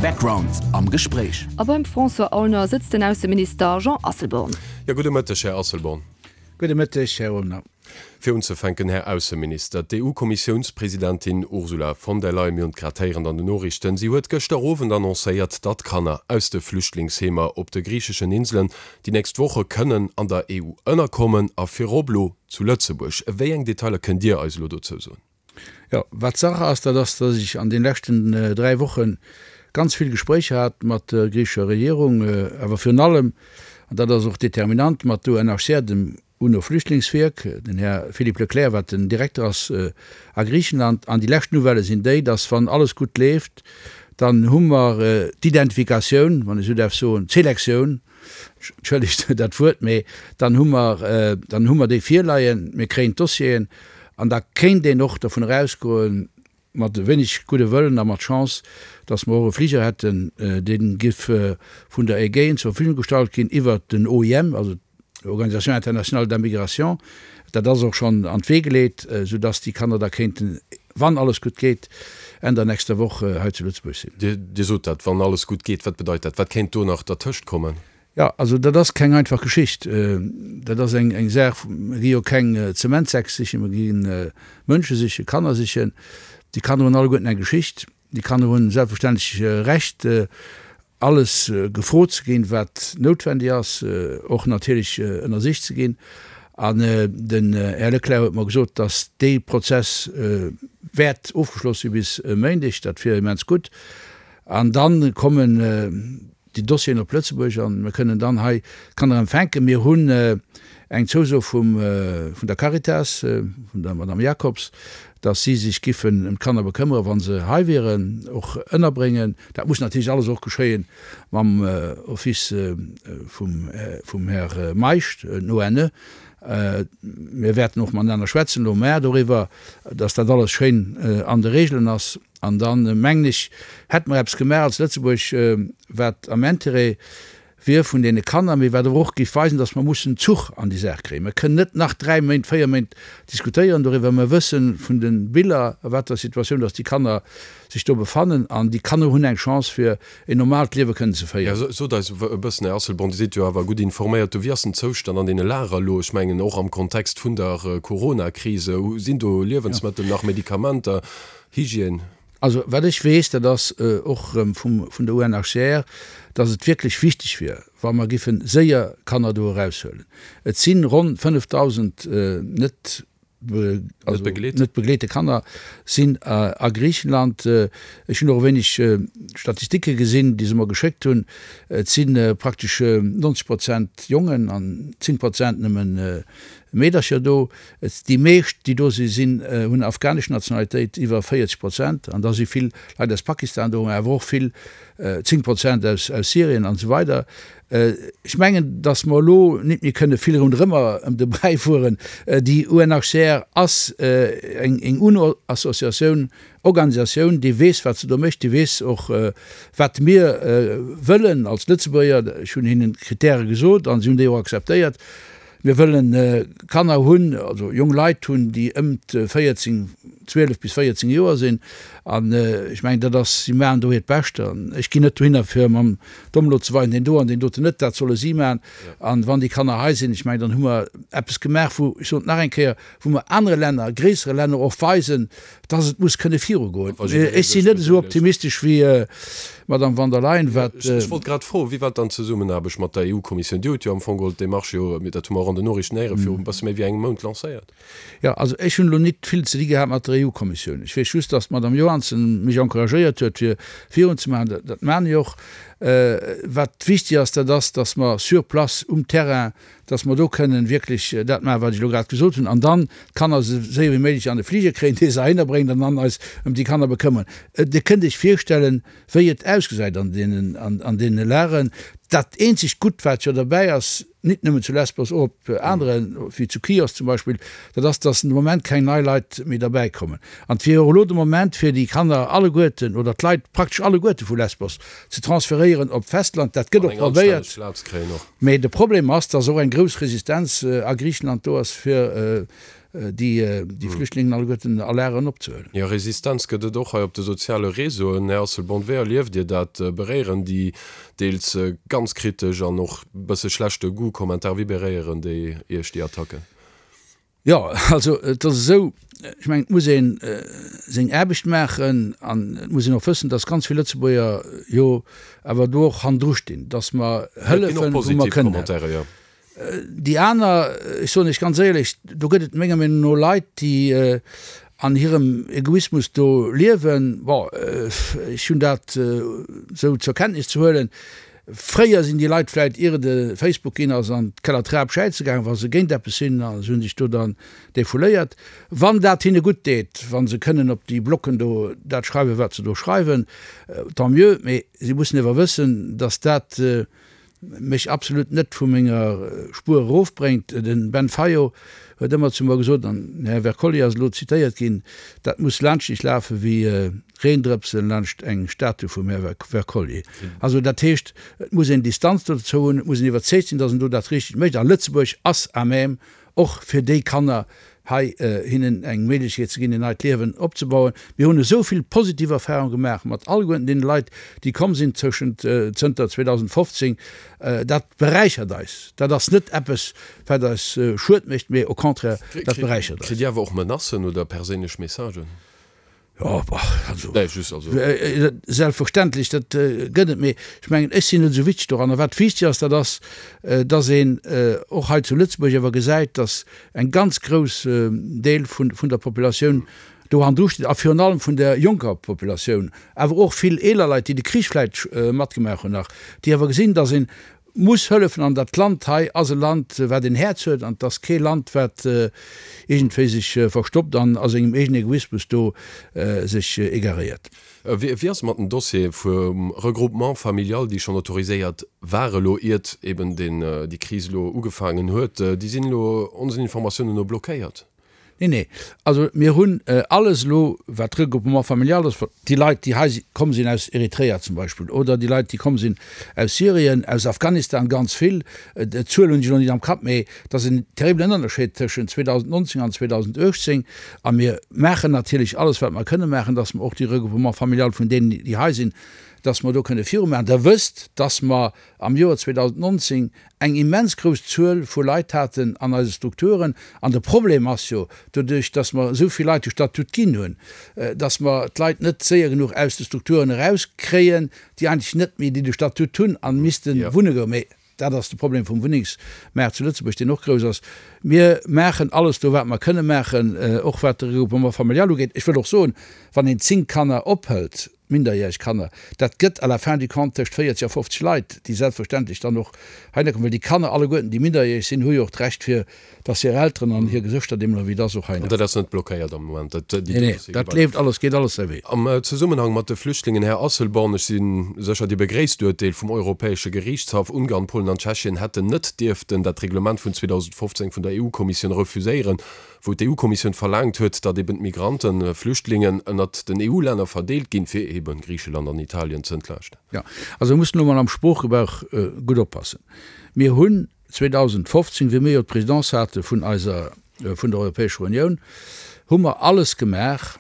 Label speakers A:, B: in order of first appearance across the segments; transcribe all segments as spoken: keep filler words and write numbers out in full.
A: Background am Gespréich.
B: A beim François Aulner sëtzt den Ausseminister Jean Asselborn.
C: Jo, gudde Mëtteg, Här Asselborn.
D: Gudde Mëtteg, Här Aulner.
C: Fir unzefänken, Här Ausseminister, d'EU-Kommissiounspresidentin Ursula von der Leyen, mir hunn et grad héieren an den Noriichten, si huet gëschter Owend annoncéiert, datt Kanner aus de Flüchtlingsheemer op de griicheschen Inselen déi nächst Woche kënnen an der EU ënnerkommen a virop elo zu Lëtzebuerg. Wéi eng Detailer kënnt Dir eis elo dozou soen?
D: Jo, wat Saach ass, dat ass, datt ech an den leschten dräi Woche ganz vill Gespréicher hat mat der griichescher Regierung, awer virun allem, an dat ass och determinant, mat der U N H C R, dem UNO-Flüchtlingswierk, den Här Philippe Leclerc, wat den Direkter ass a Griichenland. An déi lescht Nouvellë sinn déi, datt wann alles gutt leeft, dann hu mer d'Identifikatioun, wann ech esou däerf soen, d'Selektioun, entschëllegt dat Wuert, mee dann hu mer, dann hu mer déi virleien, mir kréien d'Dossieren an da kéint een och dovun erausgoen, mat e wéineg gudde Wëllen a mat Chance, datt mer och e Fliger hätten, dee giff vun der Ägäen zur Verfügung gestallt ginn iwwert den O I M, also d'Organisation internationale de la migration. Dat ass och schonn an d'Wee geleet, soudatt déi Kanner da kéinten, wann alles gutt geet, Enn der nächster Woch hei zu Lëtzebuerg sinn.
C: Dir sot dat, wann alles gutt geet. Wat bedeit dat? Wat kéint do nach dertëscht kommen?
D: Jo, also dat ass keng einfach Geschicht. Dat ass eng eng Saach, mir gi jo keng Zementsäck sichen, mir gi Mënsche sichen, Kanner sichen. Déi Kanner hunn alleguerten eng Geschicht. Déi Kanner hunn selbstverständlech Recht, alles gefrot ze ginn, wat noutwendig ass, och natierlech ënnersicht ze ginn. An den Här Leclerc huet mer gesot, datt dee Prozess wäert ofgeschloss si bis e Méindeg. Dat wier immens gutt. An da kommen déi Dossieren op Lëtzebuerg an mir kënnen dann hei d'Kanner empfänken. Mir hunn eng Zouso vum, vun der Caritas, vun der Madame Jacobs, dass si sech giffen ëm d'Kanner bekëmmere wa se hei wieren, och ënnerbréngen. Dat muss natierlech alles och geschéie mam Office vum, vum Här Meisch, den O N E. Mir wäerten och matenaner schwätzen elo muer doriwwer, dass dat alles schéin an de Regelen ass. An dann, mengen ech, hätte mer eppes gemaach als Lëtzebuerg, wat am Intérêt wier vun deene Kanner, mee wat awer och géif weisen, dass mer mussen Zuch an déi Saach kréien. Mer kënnen net nach dräi Méint, véier Méint diskutéieren doriwwer. Mer wësse vun de Biller, a wat der Situatioun dass déi Kanner sech do befannen. An déi Kanner hunn eng Chance, fir en normalt Liewe kënnen ze féieren.
C: Jo, sot eis e bëssen, Här Asselborn, Dir sidd jo awer gutt informéiert do, wéi ass den Zoustand an deene Lager elo? Ech mengen och am Kontext vun der Coronakrise, sinn do Liewensmëttel nach, Medikamenter, Hygiène?
D: Also wat ech weess, dat ass och erëm vum, vun der U N H C R, dass et wierklech wichteg wier, wa mer giffen séier Kanner do eraushuelen. Et si ronn fënnefdausend net, also net begleete Kanner sinn a Griichenland. Ech hunn och e wéineg Statistike gesinn, déi se mer geschéckt hunn. Et si praktesch nonzeg Prozent Jongen an zéng Prozent nëmmen Meedercher do. Déi meescht, déi do si sinn, hunn afghanesch Nationalitéit, iwwer véierzeg Prozent. An da si vill Leit aus Pakistan do, mä awer och vill, zéng Prozent aus Syrien an esou weider. Ech mengen, datt mer elo nit méi kënne vill ronderëmmer ëm de Bräi fueren. Déi U N H C R ass eng UNO-Associatioun, Organisatioun, déi weess, wat se do mécht, déi weess och, wat mir wëllen als Lëtzebuerger. Ech hunn hinnen d'Kritäre gesot a si hunn déi och akzeptéiert. Mir wëllen Kanner hunn, also jong Leit hunn, déi ëm d'véierzéng, zwielef bis véierzéng Joer sinn. An ech mengen, dat ass, si maachen do hiert Bescht. An ech ginn net dohinner, fir mam Domm elo ze weisen, deen do an deen doten net. Dat solle si maachen. An wann déi Kanner hei sinn, ech mengen, dann hu mer eppes gemaach, wou, ech soen et nach eng Kéier, wou mer anere Länner, gréissere Länner och weisen, dass et muss kënne virugoen. Ech sinn net esou optimistesch wéi d'Madame von der Leyen, wat.
C: Ech wollt grad froen, wéi war dann d'Zesummenaarbecht mat der E U-Kommissioun? Dir hutt jo am Fong geholl d'Demarche jo, dat hu mer och an den Noriichten héieren, viru e bësse méi wéi engem Mount lancéiert.
D: Jo, also ech hunn elo nit vill ze di gehat mat der E U-Kommissioun. Ech weess just, dass d'Madame Johansson mech encouragéiert huet, fir virunzemaachen. Dat maachen ech och. Wat wichtig ass, dat ass, dass mer sur place, um Terrain, dass mer do kënnen wierklech dat maachen, wat ech elo grad gesot hunn, an dann d'Kanner esou séier wéi méiglech an de Fliger kréien, dee se heihinner bréngt, an dann eis ëm déi Kanner bekëmmern. Dir kënnt Iech virstellen, wéi et ausgesäit an deenen, an deene Lageren. Dat eenzegt Gutt, wat jo derbäi ass, nit nëmmen zu Lesbos, och op aneren, wéi zu Chios zum Beispill, dat ass, dass de Moment keng nei Leit méi derbäi kommen. An et wier och elo de Moment, fir déi Kanner alleguerten oder d'Leit praktesch alleguerte vu Lesbos ze transferéieren op d'Festland. Dat gëtt och probéiert. Mee de Problem ass, dass och eng grouss Resistenz a Griichenland do ass, fir déi déi Flüchtlingen alleguerten a Lageren opzehuelen.
C: Jo, Resistenz gëtt et och hei op de soziale Réseauen. Här Asselborn, wéi erlieft Dir dat? Beréieren déi deels ganz kritesch an och e bësse schlechte Goût Kommentare, wéi beréieren déi Iech, déi Attacken?
D: Jo, also et ass esou, ech mengen, et muss ee seng Aarbecht maachen an et muss een och wëssen, datt ganz vill Lëtzebuerger jo awer do och hannendru stinn, datt mer hëllefen, wou mer kënnen. Déi aner, ech soen Iech ganz éierlech, do gëtt et menger Meenung no Leit, déi an hirem Egoismus do liewen. Bon, ech hunn dat esou zur Kenntnis ze huelen. Fréier sinn déi Leit vläit, ier et e Facebook ginn ass, an d'Kellertrap schäize gaangen, wa se géint eppes sinn, a se hu sech do dann defouléiert. Wann dat hinne gutt deet, wa se kënnen op déi Blocken do dat schreiwen, wat se do schreiwen, tant mieux. Mee si mussen ewer wëssen, datt dat mech absolut net vu menger Spuer erofbréngt. Den Ben Fayot huet ëmmer zu mer gesot, an den Här Wercollier ass elo zitéiert ginn, dat muss laanscht dech lafe wéi Reendrëpsen laanscht eng Statue vum Här Wercollier. Also dat heescht, et muss een Distanz dozou hunn, et muss een iwwerzeegt sinn, datt een do dat Richtegt mécht. A Lëtzebuerg ass à même, och fir déi Kanner hei hinnen eng Méiglechkeet ze ginn, en neit Liewen opzebauen. Mir hunn esou vill positiv Erfahrung gemaach mat alleguerten deene Leit, déi komm sinn tëschent, zënter zweedausendfofzéng. Dat beräichert eis. Dat ass net eppes, wat eis Schued mécht, mee au contraire, dat beräichert eis.
C: Kritt Dir awer och Menacen oder perséinlech Messagen?
D: Jo, also, selbstverständlech, dat gëtt et. Mee ech mengen, ech sinn net esou wichteg doranner. Wat wichteg ass, dat ass, dass een och hei zu Lëtzebuerg awer gesäit, dass eng ganz grouss Deel vun der Populatioun do hannendru steet, a virun allem vun der jonker Populatioun, awer och vill eeler Leit, déi de Krich vläicht matgemaach hunn nach, déi awer gesinn, dass een muss hëllefen an dat Land hei ass e Land, wat en Häerz huet an et ass kee Land, wat iergendwéi sech verstoppt an a sengem eegenen Egoismus do sech égaréiert.
C: Wéi ass et mat den Dossiere vum Regroupement familial, déi schonn autoriséiert ware lo, iert eben déi Kris elo ugefaangen huet? Déi sinn elo onsen Informatiounen no blockéiert.
D: Nee, nee. Also mir hunn alles elo, wat Regroupement familial ass, déi Leit, déi hei komm sinn aus Eritrea zum Beispill, oder déi Leit, déi komm sinn aus Syrien, aus Afghanistan, ganz vill, d'Zuel hunn ech elo net am Kapp, mee et ass en terribelen Ënnerscheed tëschent zweedausendnonzéng an zweedausendachtzéng. A mir maachen natierlech alles, wat mer kënne maachen, dass mer och déi Regroupement familial vun deenen, déi hei sinn, dass mer do kënne virumaachen. Der wësst, dass mer am Joer zweedausendnonzéng eng immens grouss Zuel vu Leit haten an eise Strukturen. An de Problem ass jo, doduerch dass mer esou vill Leit de Statut ginn hunn, dass mer d'Leit net séier genuch aus de Strukturen erauskréien, déi eigentlech net méi déi de Statut hunn a misste wunne goen. Mee dat ass de Problem vum Wunnengsmaart zu Lëtzebuerg, deen och grouss ass. Mir maachen alles do, wat mer kënne maachen, och wat de Regroupement familial ugeet. Ech wëll och soen, wann een zéng Kanner ophëlt, minderjäreg Kanner, dat gëtt à la fin du compte tëscht véierzeg a fofzeg Leit, déi selbstverständlech dann och heihinner kommen, well déi Kanner alleguerten, déi minderjäreg sinn, hu jo och d'Recht fir dass hir Elteren an hir Gesëschter deemno wéi dass och
C: heihinner. An dat ass net blockéiert am Moment? Dat, déi
D: Nee, nee, dat leeft alles, geet alles säi Wee.
C: Am Zesummenhang mat de Flüchtlingen, Här Asselborn, ech si sécher, Dir begréisst d'Urteel vum Europäesche Geriichtshaff, Ungarn, Polen an Tschechien hätten net dierften dat Reglement vun zweedausendfofzéng vun der E U-Kommissioun refuséieren, wou d'E U-Kommissioun verlaangt huet, datt eben d'Migranten, Flüchtlingen ënnert den E U-Länner verdeelt ginn, fir eben Griicheland an Italien ze entlaaschten.
D: Jo, also mir mussen elo mol am Sproochgebrauch gutt oppassen. Mir hunn zweedausendfofzéng, wéi mir jo d'Présidence hate vun eiser, vun der Europäescher Unioun, hu mer alles gemaach,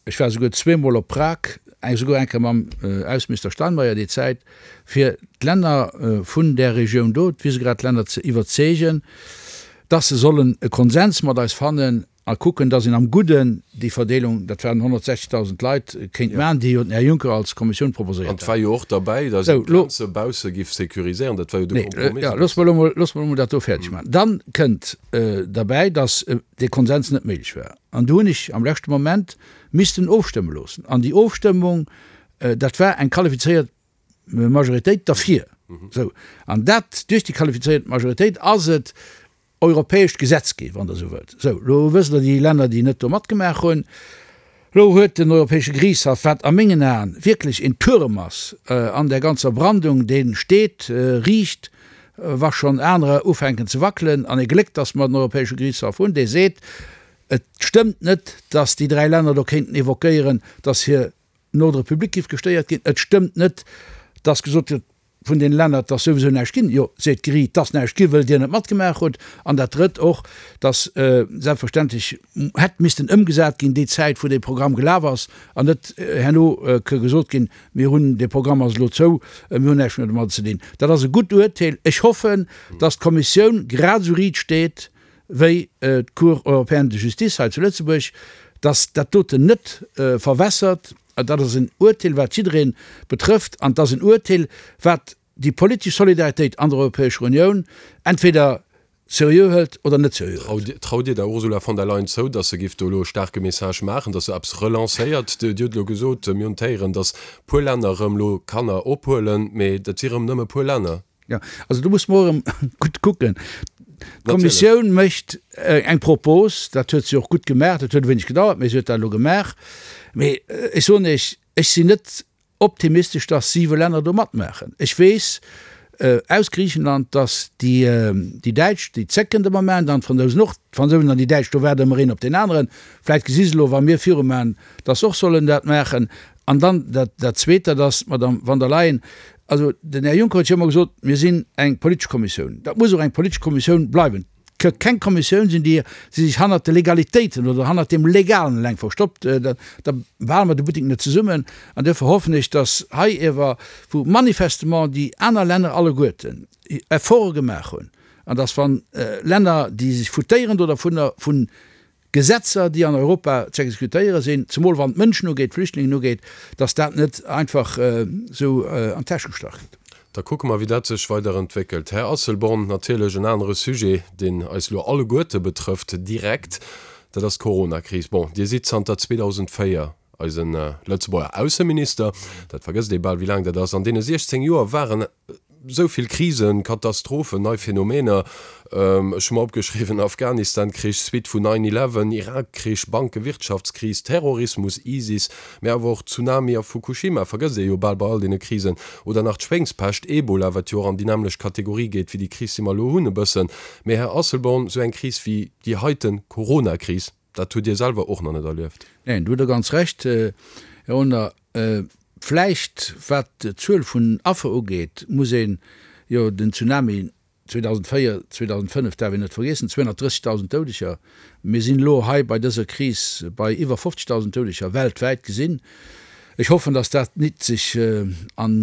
D: ech war souguer zweemol op Prag, esouguer eng Kéier mam Ausseminister Steinmeier déi Zäit, fir d'Länner vun där Regioun do, d'Visegrad-Länner, ze iwwerzeegen, dass se sollen e Konsens mat eis fannen a kucken, dass een am Gudden déi Verdeelung, dat waren honnertsechzegdausend Leit, kéint maachen, déi jo den Här Juncker als Kommissioun
C: An
D: proposéiert
C: et war
D: hat.
C: jo och derbäi, dass
D: Sou,
C: een
D: lo.
C: d'Grenze bausse giff sécuriséieren. Dat war jo de
D: Nee,
C: Kompromiss.
D: jo, loosse mer elo mol, loosse mer elo mol dat do fäerdeg maachen. Dann kënnt derbäi, dass dee Konsens net méiglech war. An du hunn ech am leschte Moment missten ofstëmme loossen. An déi Ofstëmmung, dat war eng qualifizéiert Majoritéit derfir. Sou, an dat, duerch déi qualifizéiert Majoritéit ass et europäescht Gesetz ginn, wann Der esou wëllt. Sou, elo wësst Der, déi Länner, déi net do matgemaach hunn, elo huet den Europäesche Geriichtshaff, wat a mengen Aen wierklech een Tuerem ass an där ganzer Brandung, dee steet riicht, wa schonn anerer ufänken ze wackelen, an ee Gléck, datt mer den Europäesche Geriichtshaff hunn, dee seet, et stëmmt net, datt déi dräi Länner do kéinten évoquéieren, datt hir den Ordre public giff gestéiert ginn. Et stëmmt net, dass gesot gëtt, vun den Länner, dass souwisou näischt ginn. Jo, seet d'Geriicht, dass näischt gi wëll Dir net matgemaach hutt. An dat Drëtt och, dass selbstverständlech hätt missten ëmgesat ginn déi Zäit, wou dee Programm gelaf ass, an net herno ka gesot ginn, mir hunn, dee Programm ass elo zou, mir hunn näischt méi domadder ze dinn. Dat ass e gutt Uerteel. Ech hoffen, dass d'Kommissioun grad esou riit steet wéi d'Cour européenne de justice hei zu Lëtzebuerg, dass dat doten net verwässert. Dat ass en Uerteel, wat jidderee betrëfft, an et ass en Uerteel, wat déi politesch Solidaritéit an der Europäescher Unioun entweder seriö hëlt oder net seriö
C: hëlt. Traut Dir der Ursula von der Leyen zou, datt se géif do elo e staarke Message maachen, datt se eppes relancéiert? Dir hutt elo gesot, mir hunn d'Héieren, datt puer Länner erëm elo Kanner ophuelen, mee dat si erëm nëmme puer Länner.
D: Jo, also do muss mer och erëm gutt kucken. D'Kommissioun mécht eng Propos, dat huet se och gutt gemaach, dat huet e wéineg gedauert, mee se huet dat elo gemaach. Mee ech soen Iech, ech sinn net optimistesch, dass siwe Länner do matmaachen. Ech weess aus Griichenland, dass déi Däitsch, déi zécken de Moment, an d'Fransousen och, d'Fransousen an déi Däitsch, do waarde ëmmer een op deen aneren. Vläicht gesi se elo, wa mir virumaachen, dass se och sollen dat maachen. An dann dat Zweet, dat ass, d'Madame von der Leyen, Also, den Här Juncker huet jo ëmmer gesot, mir sinn eng politesch Kommissioun. Dat muss och eng politesch Kommissioun bleiwen. Et ka keng Kommissioun sinn, déi sech hannert de Legalitéiten oder hannert deem Legalen eleng verstoppt. Da behale mer de Buttek net zesummen. An duerfir hoffen ech, dass hei iewer, wou manifestement déi aner Länner alleguerten Efforte gemaach hunn, an dass wa Länner, déi sech foutéieren do dervunner, vun Gesetzer, déi an Europa ze exekutéiere sinn, zemol wann et d'Mënschen ugeet, d'Flüchtlingen ugeet, dass dat net einfach esou an d'Täsch gestach gëtt.
C: Da kucke mer, wéi dat sech weider entwéckelt. Här Asselborn, natierlech en anere Sujet, deen eis elo alleguerte betrëfft direkt, dat ass d'Coronakris. Bon, Dir sidd zanter zweedausendvéier eise Lëtzebuerger Ausseminister, dat vergësst ee bal, wéi laang dat ass. An deene siechzéng Joer waren Sou vill Krisen, Katastrophen, nei Phänomener, ech hu mer opgeschriwwen, Afghanistan-Krich, Suite vun nine eleven, Irak-Krich, Banke-Wirtschaftskris, Terrorismus, ISIS, mä awer och Tsunami a Fukushima, vergësst ee jo bal bei all deene Krisen, oder nach d'Schwéngspescht, Ebola, wat jo och an déi nämmlecht Kategorie geet wéi déi Kris, déi mer elo hunn e bëssen. Mä Här Asselborn, sou eng Kris wéi déi heiten Corona-Kris, dat hutt Dir selwer och nach net erlieft.
D: Neen, do hutt Der ganz Recht, Här Honner. Vläicht, wat d'Zuel vun Affer ugeet, muss een jo den Tsunami zweedausendvéier, zweedausendfënnef däerf een net vergiessen, zweehonnertdrëssigtausend Doudeger. Mir sinn elo hei bei dëser Kris bei iwwer fofzegtausend Doudeger weltwäit gesinn. Ech hoffen, datt dat nit sech an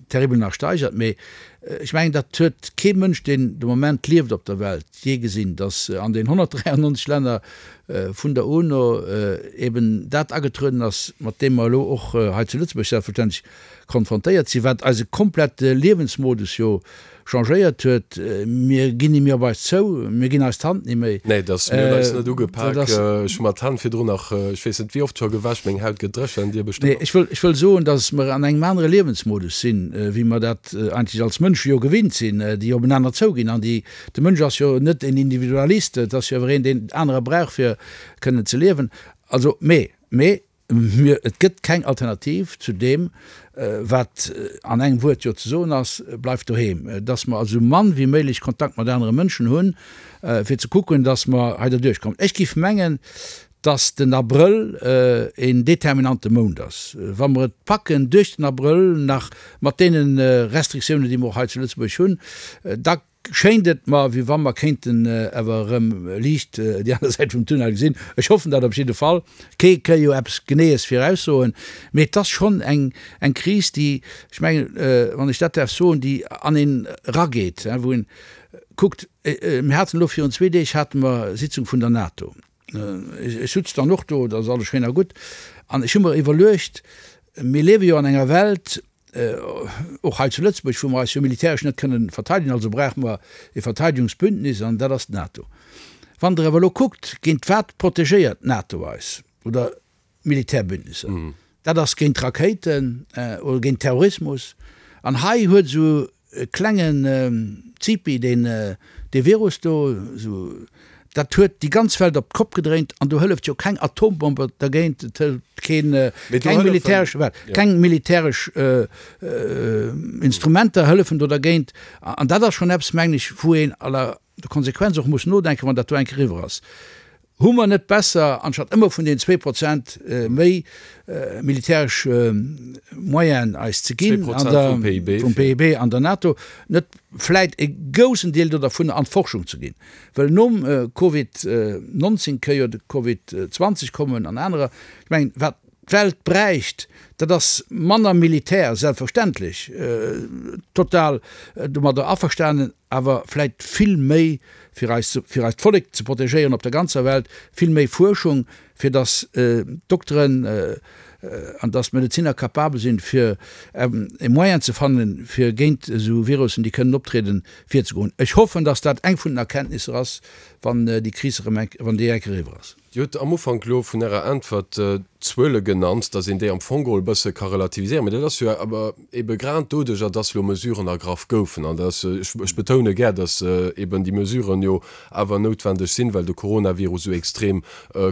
D: terribel nach steigert, mee ech mengen, dat huet kee Mënsch, deen de Moment lieft op der Welt, jee gesinn, datt an den honnertdräiannonzeg Länner vun der UNO eben dat agetrueden ass, mat deem mer elo och hei zu Lëtzebuerg selbstverständlech konfrontéiert sinn, wat eise komplette Liewensmodus jo changéiert huet. Mir ginn ni méi op eis zou, mir ginn eis d'Hand ni méi.
C: Nee, dass mir hunn eis net ugepak. Ech hu mer d'Hänn virdrun nach, ech weess net wéi oft, scho gewäsch. Meng Haut gëtt dréchen, Dir bestëmmt
D: och. Nee, ech wëll, ech wëll soen, dass mer an engem anere Liewensmodus sinn, wéi mer dat eigentlech als Mënsche jo gewinnt sinn, déi openaner zouginn an déi, de Mënsch ass jo net en Individualist, et ass jo awer een, deen anerer brauch fir kënnen ze liewen. Also, mee, mee mir, et gëtt keng Alternativ zu deem, wat an engem Wuert jo ze soen ass, Bleift doheem! Dass mer also esou mann wéi méiglech Kontakt mat anere Mënschen hunn, fir ze kucken, dass mer hei derduerch kommen. Ech géif mengen, dass den Abrëll een determinante Mount ass. Wa mer et packen duerch den Abrëll nach mat deene Restriktiounen, déi mer och hei zu Lëtzebuerg hunn, da schéint et mer, wéi wa mer kéinten awer erëm liicht déi aner Säit vum Tunnel gesinn. Ech hoffen dat op jidde Fall. Kee ka jo eppes Geneeës viraussoen, mee et ass schonn eng eng Kris, déi, ech mengen, wann ech dat däerf soen, déi an een erageet, wou een kuckt, mir haten elo virun zwee Deeg hate mer Sitzung vun der NATO. Ech sutz dann och do, dat ass alles schéin a gutt, an ech hu mer iwwerluecht, mir liewe jo an enger Welt, och hei zu Lëtzebuerg, wou mer eis jo militäresch net kënnen verteidegen, also brauche mer e Verteidegungsbündnis, an dat ass d'NATO. Wann Der awer elo kuckt, géint wat protegéiert d'NATO eis, oder Militärbündnisser, dat ass géint Rakéiten oder géint Terrorismus, an hei huet esou e klengen Zipi, deen dee Virus do, esou, dat huet déi ganz Welt op d'Kopp gedréint an do hëlleft jo keng Atombomb dergéint, et hëlleft keen, keng militäresch, keng militäresch Instrumenter hëllefen do dergéint. An dat ass schonn eppes, mengen ech, wou een à la Konsequenz och muss nodenken, wann dat do eng Kéier eriwwer ass. Hu mer net besser, anstatt ëmmer vun den zwee Prozent méi militäresch Moyenen eis ze ginn an der, vum P I B an der NATO, net vläit e goussen Deel do dervun an d'Forschung ze ginn? Well nom Covid neunzehn kënn jo de Covid zwanzeg kommen an anerer. Ech mengen, wat d'Welt bräicht, dat ass manner Militär, selbstverständlech, total domadder averstanen, awer vläit vill méi fir eis, fir eist Vollek ze protegéieren op der ganzer Welt, vill méi Fuerschung, fir datt d'Dokteren an datt d'Medeziner capabel sinn, fir e Moyen ze fannen, fir géint esou Virussen, déi kënnen optrieden, virzegoen. Ech hoffen, datt dat eng vun den Erkenntnisser ass, wann déi Kris erëm eng, wann déi eng eriwwer ass.
C: Dir hutt am Ufank elo vun Ärer Äntwert d'Zuele genannt, datt een déi am Fong geholl e bësse ka relativiséieren. Mä dat ass jo awer ebe grad doduerjer, datt elo Mesuren ergraff goufen. An datt, ech betoune gär, datt eben déi Mesuren jo awer noutwendeg sinn, well de Coronavirus esou extrem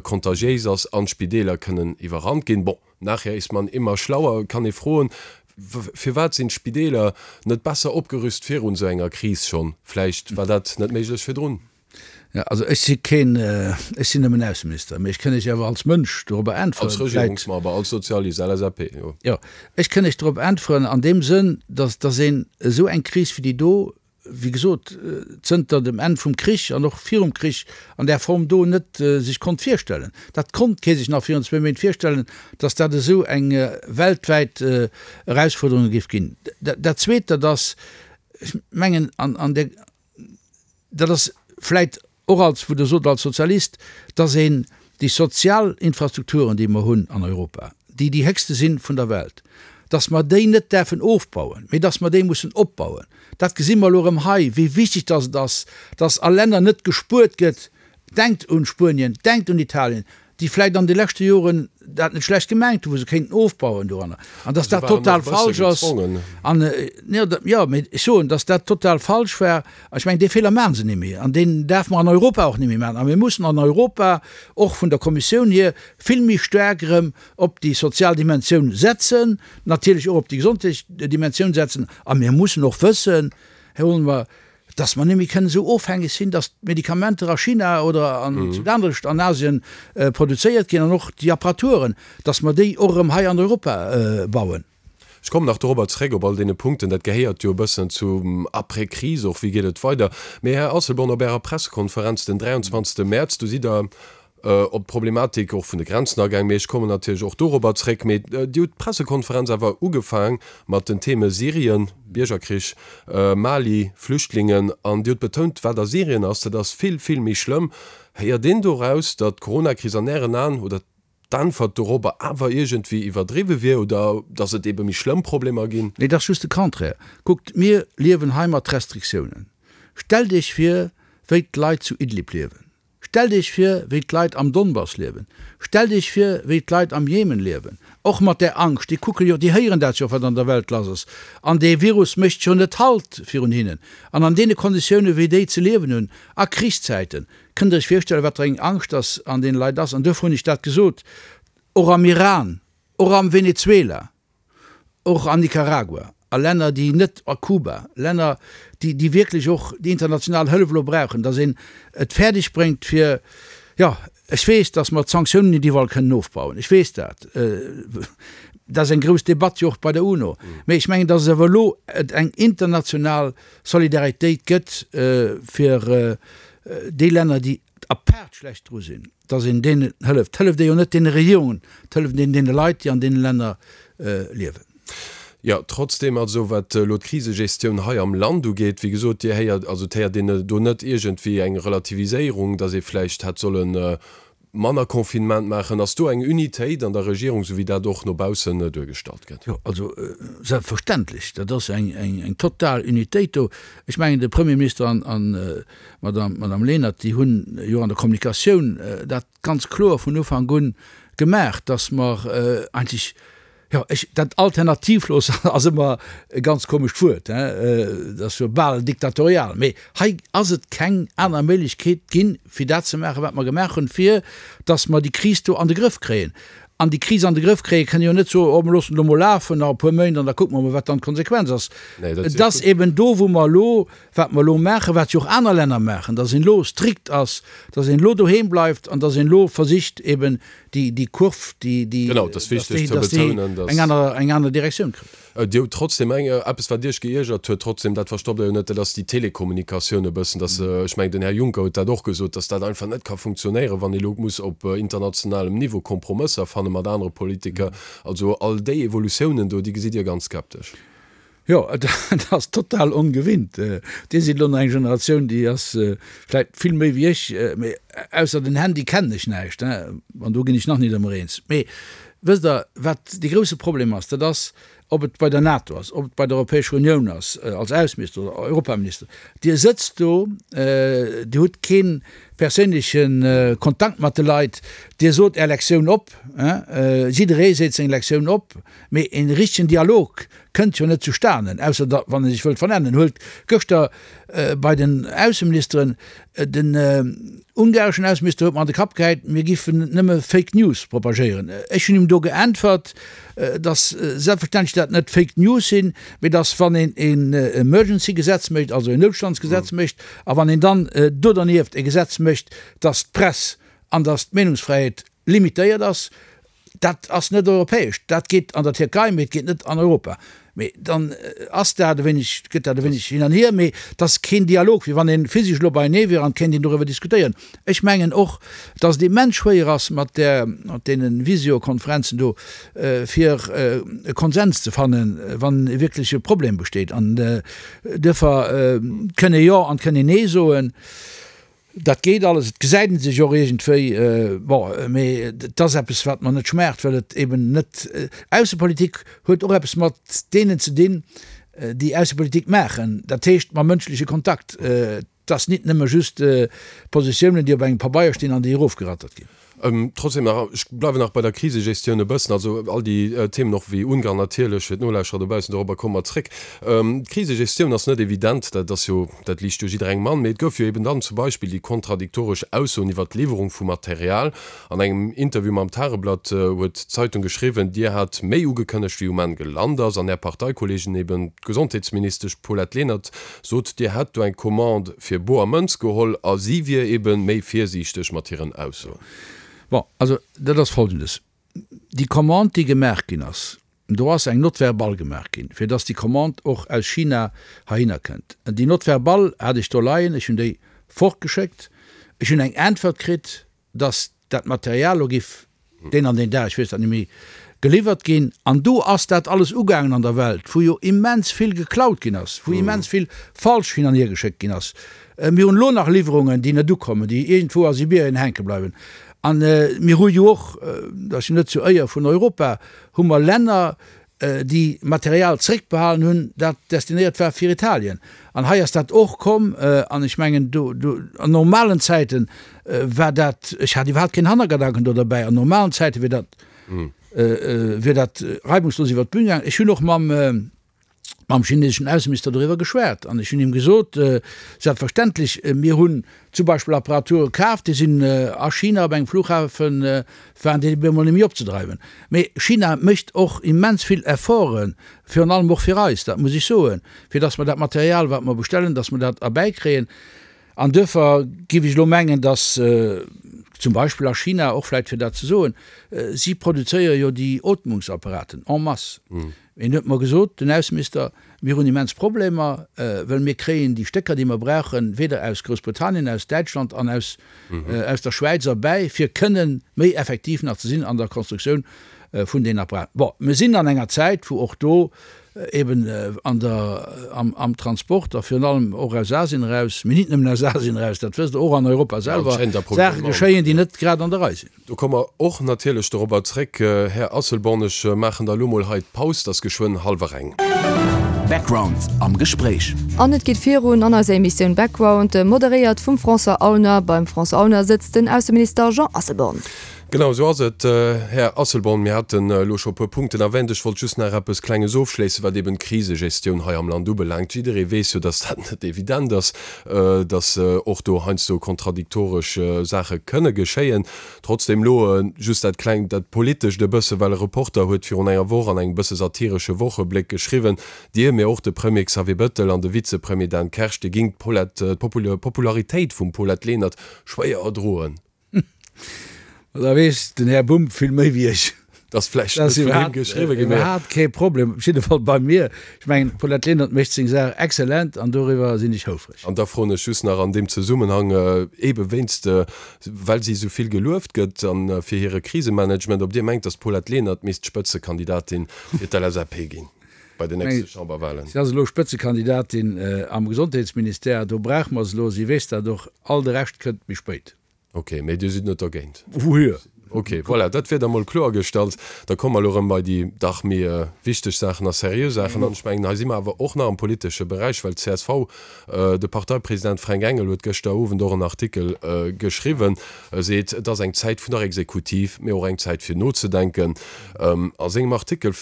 C: kontagiéis ass an d'Spideeler kënnen iwwerrannt ginn. Bon, nachher ist man immer schlauer, kann ee froen, firwat sinn d'Spideeler net besser opgerüst virun esou enger Kris schonn? Vläicht war dat net méiglech virdrun.
D: Ja, also ech si keen, ech sinn nëmmen Ausseminister, mee ech kënn Iech awer als Mënsch dorobber äntweren.
C: Als Regierungsmember, als Sozialist, L S A P, jo.
D: Jo, ech kënn Iech dorop äntweren an deem Sënn, dass, dass een esou eng Kris wéi déi do, wéi gesot, zënter dem Enn vum Krich an och virum Krich an där Form do net sech konnt virstellen. Dat konnt kee sech nach virun zwee Méint virstellen, dass dat esou eng weltwäit Erausfuerderung géif ginn. Dat Zweet, dat ass, ech mengen, an, an der, dat ass vläit och als, wou Der sot, als Sozialist, dass een déi sozial Infrastrukturen, déi mer hunn an Europa, déi déi héchste sinn vun der Welt, dass mer déi net däerfen ofbauen, mee dass mer déi mussen opbauen. Dat gesi mer elo erëm hei, wéi wichteg dass et ass, dass a Länner net gespuert gëtt. Denkt un Spuenien, denkt un Italien, déi vläicht an de leschte Joren dat net schlecht gemengt hunn, wou se kéinten ofbauen doranner, an dass dat total falsch ass. An, jo, mee ech soen, dass dat total falsch war. A ech mengen, dee Feeler maache se net méi an deen däerfe mer an Europa och net méi maachen. A mir mussen an Europa och vun der Kommissioun hier vill méi staark erëm op déi sozial Dimensioun setzen, natierlech och op déi gesondheetlech Dimensioun setzen. A mir mussen och wëssen, Här Ulmer, dass mer net méi kënnen esou ofhängeg sinn, dass d'Medikamenter a China oder an zu anescht an Asien produzéiert ginn an och déi Apparaturen, dass mer déi och erëm hei an Europa bauen.
C: Ech kommen nach dorobber zréck, op all deene Punkten. Dat gehéiert jo e bëssen zum Après-Crise och, wéi geet et weider. Mee Här Asselborn, op Ärer Pressekonferenz den dräianzwanzegste Mäerz, do sidd Der op d'Problematik och vun de Grenzen agaang, mee ech kommen natierlech och dorobber zréck. Mee Dir hutt d'Pressekonferenz awer ugefaang mat den Theme Syrien, Biergerkrich, Mali, Flüchtlingen, an Dir hutt betount, wat a Syrien ass, dat ass vill, vill méi schlëmm. Héiert een doraus, datt d'Coronakris an Ären Aen oder d'Äntwert dorobber awer iergendwéi iwwerdriwwe wier oder datt et ebe méi schlëmm Problemer ginn?
D: Nee, dat ass just de Contraire. Kuckt, mir liewen hei mat Restriktiounen. Stellt Iech vir, wéi d'Leit zu Idlib liewen. Stellt Iech vir, wéi d'Leit am Donbass liewen. Stellt Iech vir, wéi d'Leit am Jemen liewen. Och mat där Angscht. Déi kucke jo, déi héieren dat jo, wat an der Welt lass ass. An dee Virus mécht jo net Halt virun hinnen. An an deene Konditiounen, wéi déi ze liewen hunn, a Krichszäiten, kënnt Der Iech virstellen, wat fir eng Angscht dass an deene Leit ass. An duerfir hunn ech dat gesot, och am Iran, och am Venezuela, och an Nicaragua, a Länner, déi net, a Kuba, Länner, déi, déi wierklech och déi international Hëllef elo brauchen, dass een et fäerdeg bréngt fir, jo, ech weess, dass mer d'Sanktiounen net iwwerall kënnen ofbauen, ech weess dat, dat ass eng grouss Debatt jo och bei der UNO, mee ech mengen, dass et awer elo et eng international Solidaritéit gëtt fir déi Länner, déi apaart schlecht dru sinn, dass een deenen hëlleft. Et hëlleft ee jo net deene Regierungen, et hëlleft een deene Leit, déi an deene Länner liewen.
C: Jo, trotzdem, also wat elo d'Krisegestioun hei am Land ugeet, wéi gesot, Dir héiert, also et héiert een do net iergendwéi eng Relativiséierung, datt ee vläicht hätt solle manner Confinement maachen. Ass do eng Unitéit an der Regierung, esou wéi dat och no baussen duergestallt gëtt?
D: Jo, also selbstverständlech, dat ass eng, eng, eng total Unitéit do. Ech mengen, de Premierminister an, an d'Madame, d'Madame Lenert, déi hunn jo an der Kommunikatioun dat ganz kloer vun Ufank un gemaach, datt mer eigentlech, jo, ech, dat alternativlos ass ëmmer e ganz komescht Wuert, hein, dat ass jo bal diktatorial, mee hei ass et keng aner Méiglechkeet ginn, fir dat ze maachen, wat mer gemaach hunn, fir datt mer déi Kris do an de Grëff kréien. An déi Kris an de Grëff kréien, kënne jo net soen, oh mer loossen elo mol lafen nach e puer Méint an da kucke mer mol, wat dann d'Konsequenz ass. Et ass eben do, wou mer elo, wat mer elo maachen, wat jo och aner Länner maachen, datt een elo strikt ass, datt een elo doheem bleift an datt een elo versicht eben déi, déi Kurv, déi, déi, datt déi, datt déi eng aner, eng aner Direktioun kritt.
C: Dir hutt trotzdem eng, eppes wat Iech geiergert huet, trotzdem, dat verstoppt Der jo net, dat ass déi Telekommunikatioun e bëssen, dass, ech mengen den Här Juncker huet dat och gesot, dass dat einfach net ka funktionéieren, wann ee lo muss op internationalem Niveau Kompromësser fanne mat anere Politiker. Also all déi Evolutiounen do, déi gesitt Dir ganz skeptesch.
D: Jo, et ass total ongewinnt. Dir sidd elo nach eng Generatioun, déi ass vläicht vill méi wéi ech, mee ausser den Handy kennen ech näischt, an do ginn ech nach nit ëmmer eens. Mee wësst Der, wat dee grousse Problem ass, dat ass, ob et bei der NATO ass, ob et bei der Europäescher Unioun ass, als Ausseminister oder Europaminister, Dir sëtzt do, Dir hutt kee perséinleche Kontakt mat de Leit, Dir sot Är Lektioun op, jidderee seet seng Lektioun op, mee e richtegen Dialog kënnt jo net zustanen, ausser da wann e sech wëllt vernennen. Huelt gëschter bei den Ausseministeren, den ungareschen Ausseminister huet mer an de Kapp gehäit, mir giffen nëmme Fake News propagéieren. Ech hunn him do geäntwert, datt selbstverständlech dat net Fake News sinn, mee datt wann een een Emergency-Gesetz mécht, also een Noutstandsgesetz mécht, a wann een dann do dernieft e Gesetz mécht, datt d'Press an datt d'Meenungsfräiheet limitéiert ass, dat ass net europäesch. Dat geet an der Tierkei, mee et geet net an Europa. Mee dann ass dat e wéineg, gëtt dat e wéineg hin an hier, mee et ass keen Dialog, wéi wann ee physesch elo beienee wier an et kéint een doriwwer diskutéieren. Ech mengen och, datt et immens schwéier ass mat där, mat deene Visiokonferenzen do, fir e Konsens ze fannen, wann e wierkleche Problem besteet. An duerfir kënn ee Jo an et kënn een Nee soen. Dat geet alles, et gesäit ee sech och iergendwéi, bon, mee et ass eppes, wat mer net schmaacht, well et eben net, Aussepolitik huet och eppes mat deenen ze dinn, déi Aussepolitik maachen, dat heescht mam mënschleche Kontakt. Et ass nit nëmme just Positiounen, déi op engem Pabeier stinn an déi erofgerattert ginn.
C: Trotzdem nach, ech bleiwen nach bei der Krisegestioun e bëssen, also all déi Themen och wéi Ungarn natierlech, fir d'Nolauschterer dobaussen, dorobber komme mer zréck. D'Krisegestioun ass net evident, dat ass jo, dat liicht jo jidderengem an, mee et gouf jo eben dann zum Beispill déi kontradiktoresch Aussoen iwwert d'Liwwerung vu Material. An engem Interview mam Tageblatt huet d'Zeitung geschriwwen, Dir hat méi ugekënnegt wéi um Enn gelant ass an Är Parteikolleegin, eben d'Gesondheetsministesch Paulette Lenert, sot, Dir hätt do eng Commande fir boer Mënz geholl a si wier ebe méi virsiichteg mat hiren Aussoen.
D: Bon, also dat ass Folgendes, Déi Commande, déi gemaach ginn ass, do ass eng Note verbale gemaach ginn, fir dass déi Commande och aus China heihinner kënnt. Déi Note verbale hat ech do leien, ech hunn déi fortgeschéckt. Ech hunn eng Äntwert kritt, dass dat Material elo giff deen an deen Dag, ech weess dat net méi, geliwwert ginn. An do ass dat alles ugaangen an der Welt, wou jo immens vill geklaut ginn ass, wou immens vill falsch hin an hier geschéckt ginn ass. Mir hunn elo nach Liwwerungen, déi net ukommen, déi iergendwou a Sibirien hänke bleiwen. A mir hu jo och, dat ass jo net zur Éier vun Europa, hu mer Länner, déi Material zréckbehalen hunn, dat destinéiert war fir Italien. An hei ass dat och komm. An ech mengen, do, do, an normalen Zäite war dat, ech hat iwwerhaapt keen Hannergedanken do derbäi, an normalen Zäite wier dat, wier dat reibungslos iwwert d'Bün gaangen. Ech hunn och mam, mam chineseschen Ausseminister doriwwer geschwat an ech hunn him gesot, selbstverständlech, mir hunn zum Beispill Apparature kaf, déi sinn a China op engem Flughafen, waren déi op eemol net méi opzedreiwen. Mee China mécht och immens vill Efforten, virun allem och fir eis, dat muss ech soen, fir datt mer dat Material, wat mer bestellen, datt mer dat erbäikréien. An duerfir géif ech elo mengen, datt zum Beispill a China, och vläicht fir dat ze soen, si produzéiere jo déi Ootmungsapparaten en masse. Een huet mer gesot, den Ausseminister, mir hunn immens Problemer, well mir kréien déi Stécker, déi mer brauchen, weder aus Groussbritannien, aus Däitschland an aus aus der Schwäiz erbäi, fir kënnen méi effektiv nach ze sinn an der Konstruktioun vun deenen Apparaten. Bon, mir sinn an enger Zäit, wou och do eben an der, am, am Transport a virun allem och aus Asien eraus, mee nit nëmmen aus Asien eraus, dat wësst Der, och an Europa selwer, Saache geschéien, déi net grad an der Rei sinn.
C: Do komme mer och natierlech dorobber zréck, Här Asselborn. Ech maachen da elo mol hei d'Paus, et ass geschwënn hallwer eng.
A: Background am Gespréich.
B: An et geet virun an eiser Emissioun Background, moderéiert vum François Aulner. Beim François Aulner sëtzt den Ausseminister Jean Asselborn.
C: Genau esou ass et, Här Asselborn. Mir haten elo scho e puer Punkten erwähnt. Ech wollt just nach eppes Klenges ofschléissen, wat eben d'Krisegestioun hei am Land ubelaangt. Jidderee weess jo, dass dat net evident ass, dass och do heiansdo kontradiktoresch Saache kënne geschéien. Trotzdem elo just dat Klengt, dat Politescht e bësse, well e Reporter huet virun enger Woch an engem bësse satiresche Wochebléck geschriwwen, Dir, mee och de Premier Xavier Bettel an de Vizepremier Dan Kersch, Dir gingt d'Paulette, d'Popularitéit vum Paulette Lenert schwéier erdroen.
D: Ma da weess den Här Bumb vill méi wéi ech.
C: Dat ass vläicht net vun him geschriwwen ginn, mee.
D: Iwwerhaapt kee Problem, op jidde Fall bei mir. Ech mengen, d'Paulette Lenert mécht seng Saach exzellent an doriwwer sinn ech houfreg.
C: An da froen ech just nach an deem Zesummenhang, eebe wéinst, well si esou vill gelueft gëtt a fir hire Krisemanagement, ob Dir mengt, datt d'Paulette Lenert misst Spëtzekandidatin fir d'LSAP ginn bei den nächste Chamberwahlen.
D: Si ass elo Spëtzekandidatin am Gesondheetsministère, do brauche mer se elo, si weess dat och. All de Rescht kënnt méi spéit.
C: Ok, mee Dir sidd net dergéint?
D: Wouhier?
C: Ok, voilà, dat wier da mol kloergestallt. Da komme mer elo erëm bei déi dach méi wichteg Saachen a seriö Saachen. An ech mengen, hei si mer awer och nach am politesche Beräich, well d'CSV, de Parteipresident Fränk Engel huet gëschter Owend och en Artikel geschriwwen, e seet, et ass eng Zäit vun der Exekutiv, mee och eng Zäit fir nozedenken. A sengem Artikel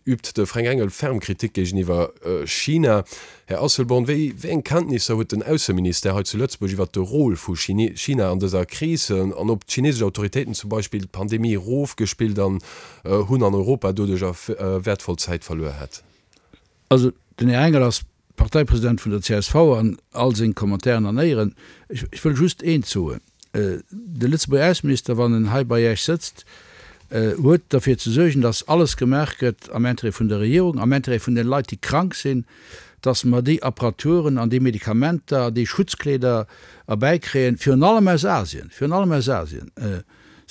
C: übt de Fränk Engel ferm Kritik géigeniwwer China. Här Asselborn, wéi eng Kenntnisser huet den Ausseministère hei zu Lëtzebuerg iwwert de Rôle vu China an dëser Kris an ob d'chinesesch Autoritéiten zum Beispill d'Pandemie erofgespillt an hunn an Europa doduerch wäertvoll Zäit verluer hätt?
D: Also den Här Engel ass Parteipresident vun der csv an all seng Commentairen an Éieren. Ech wëll just eent soen, De Lëtzebuerger Ausseminister, wann en hei bei Iech sëtzt, huet derfir ze suergen, datt alles gemaach gëtt am Intérêt vun der Regierung, am Intérêt vun den Leit, déi krank sinn, datt mer déi Apparaturen an déi Medikamenter an déi Schutzkleeder erbäikréien, virun allem aus Asien, virun allem aus Asien.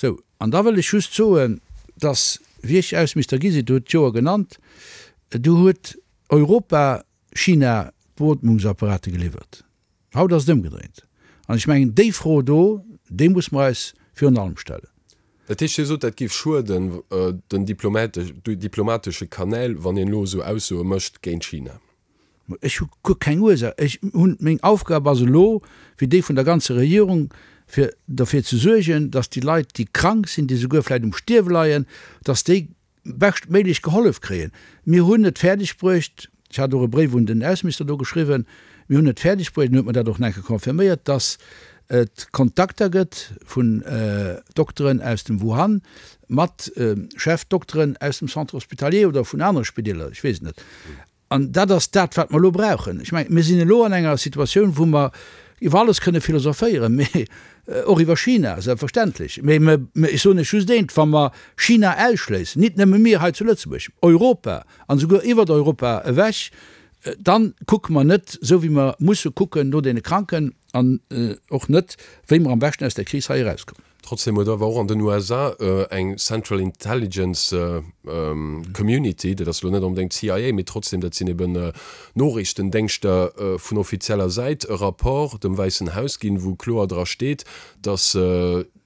D: Sou, an da wëll ech just soen, datt, wéi ech Ausseminister gi sinn, Dir hutt d'Joer genannt, du huet Europa China d'Beotmungsapparate geliwwert. Haut ass et ëmgedréint. An ech mengen, déi Fro do, déi muss mer eis virun allem stellen.
C: Dat heescht, Dir sot, dat géif schueden den diplomatesche Kanäl, wann een elo esou Aussoe mécht géint China?
D: Ech hu guer keng Ursaach. Ech hunn, meng Aufgab ass elo, wéi déi vun der ganzer Regierung, fir derfir ze suergen, datt déi Leit, déi krank sinn, déi souguer vläicht um Stierwe leien, datt déi beschtméiglech gehollef kréien. Mir hunn et fäerdeg bruecht, ech hat och e Bréif un den Ausseminister do geschriwwen, mir hunn et fäerdeg bruecht, en huet mer dat och nach eng Kéier confirméiert, datt et Kontakter gëtt vun Dokteren aus dem Wuhan mat Chefdokteren aus dem Centre hospitalier oder vun anere Spideeler, ech weess et net. An dat ass dat, wat mer elo brauchen. Ech mengen, mir sinn elo an enger Situatioun, wou mer iwwer alles kënne philosophéieren, mee och iwwer China, selbstverständlech. Mee ech soen lech just eent, Wa mer China ausschléissen, nit nëmme mir hei zu Lëtzebuerg, Europa an esouguer iwwert Europa ewech, da kucke mer net esou, wéi mer musse kucken no deene Kranken an och net, wéi mer am beschten aus där Kris hei erauskommen.
C: Trotzdem huet awer och an den USA eng Central Intelligence Community, dat ass elo net onbedéngt d'CIA, mee trotzdem, dat sinn eben Noriichtendéngschter vun offizieller Säit, e Rapport dem Wäissen Haus ginn, wou kloer dra steet, datt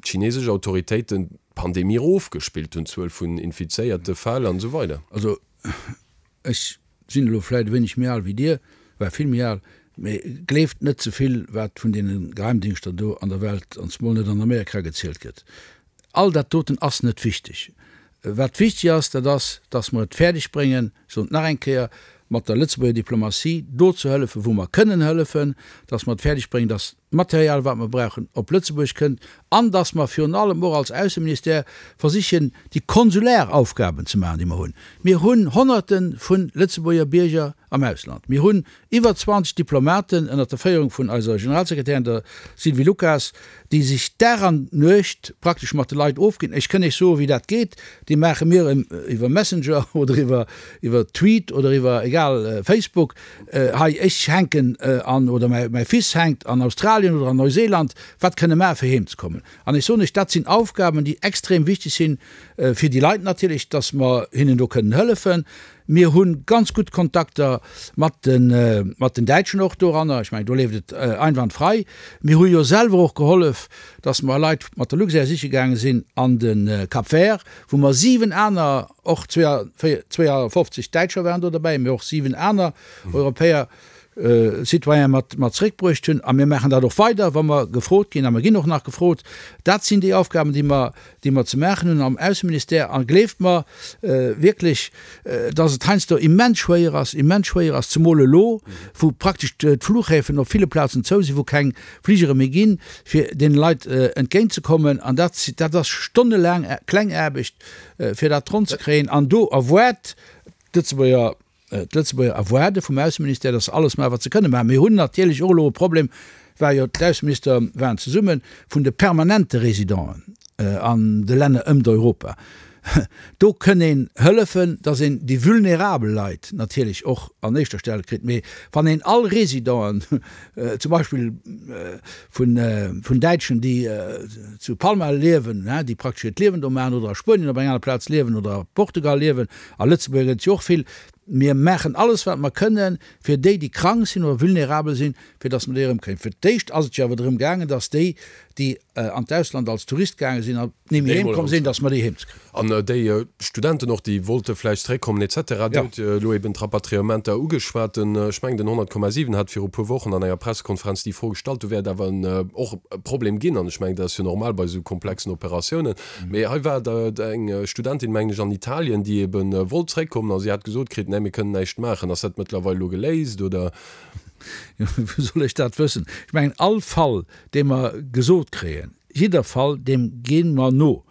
C: d'chinesesch Autoritéiten d'Pandemie erofgespillt hunn, d'Zuel vun infizéierte Fäll an esou weider.
D: Also ech sinn elo vläit e wéineg méi al wéi Dir, well vill méi al, mee gleeft net ze vill, wat vun deene Geheimdingschter do an der Welt, an zemol net an Amerika, gezielt gëtt. All dat doten ass net wichteg. Wat wichteg ass, dat ass, dass mer et fäerdeg bréngen, ech soen et nach eng Kéier, mat der Lëtzebuerger Diplomatie do ze hëllefen, wou mer kënnen hëllefen, dass mer et fäerdeg bréngen, dass d'Material, wat mer brauchen, op Lëtzebuerg kënnt an dass mer virun allem och als Ausseministère versichen, déi konsulär Aufgaben ze maachen, déi mer hunn. Mir hunn Honnerte vu Lëtzebuerger Bierger am Ausland. Mir hunn iwwer zwanzeg Diplomaten ënnert der Féierung vun eiser Generalsekretärin, der Sylvie Lucas, déi sech Dag an Nuecht praktesch mat de Leit ofginn. Ech kënn Iech soen, wéi dat geet. Déi maache mir iwwer Messenger oder iwwer iwwer Tweet oder iwwer, egal, Facebook, Hei, ech hänken an, oder mäi Fils hänkt an Australien oder an Neuseeland, wat kënne maache fir heem ze kommen? An ech soen Iech, dat sinn Aufgaben, déi extrem wichteg sinn fir déi Leit natierlech, dass mer hinnen do kënnen hëllefen. Mir hu ganz gutt Kontakter mat de mat den Däitschen och doranner. Ech mengen, do leeft et einwandfrei. Mir hu jo selwer och gehollef, dass mer Leit mat der Luxair siche gaange sinn an de Cap Vert, wou mer siwen aner, och zweeafofzeg Däitscher waren do derbäi, mee och siwen aner Europäer Citoyene mat mat zréckbruecht hunn. A mir maachen dat och weider, wa mer gefrot ginn, a mer ginn och nach gefrot. Dat sinn déi Aufgaben, déi mer, déi mer ze maachen hunn am Ausseministère. A gleeft mer wierklech, dass et heiansdo immens schwéier ass, immens schwéier ass, zemol elo, wou praktesch d'Flughäfen op ville Plazen zou sinn, wou keng Fligere méi ginn, fir deene Leit entgéintzekommen. An dat, dat ass stonnelaang kleng Aarbecht, fir dat ronn ze kréien. An do erwaart d'Lëtzebuerger, d'Lëtzebuerger erwaarde vum Ausseministère, dass se alles maachen, wat se kënne maachen. Mir hunn natierlech och elo e Problem, war jo d'Ausseminister waren zesummen, vun de permanente Résidenten an de Länner ëmt Europa. Do kënn een hëllefen, dass een déi vulnerabel Leit natierlech och an éischter Stell kritt. Mee wann een all Résidenten, zum Beispill vun, vun Däitschen, déi zu Palma liewen, déi praktesch hiert Liewen do maachen, oder a Spuenien op enger aner Plaz liewen oder a Portugal liewen, a Lëtzebuerger gëtt et jo och vill, mir maachen alles, wat mer kënnen, fir déi, déi krank sinn oder vulnerabel sinn, fir dass mer déi erëmkréien. Fir d'éischt ass et jo awer drëm gaangen, dass déi, déi an d'Ausland als Tourist gaange sinn an ni méi heemkomm sinn, dass mer déi heemzekréien.
C: An déi Studenten och, déi wollte vläicht zeréckkommen et cetera. Dir hutt elo eben d'Rapatriementer ugeschwat. Den, ech mengen, den honnert Komma siwen hat viru puer Wochen an enger Pressekonferenz déi Fro gestallt. Do wäert awer och e Problem ginn. An ech mengen, dat ass jo normal bei esou komplexen Operatiounen. Mee hei war et eng Studentin, mengen ech, an Italien, déi ebe wollt zeréckkommen a si hat gesot kritt, Nee, mir kënnen näischt maachen. Ass dat mëttlerweil elo geléist, oder?
D: Jo, wou soll ech dat wëssen? Ech mengen, all Fall, dee mer gesot kréien, jidder Fall, deem gi mer no.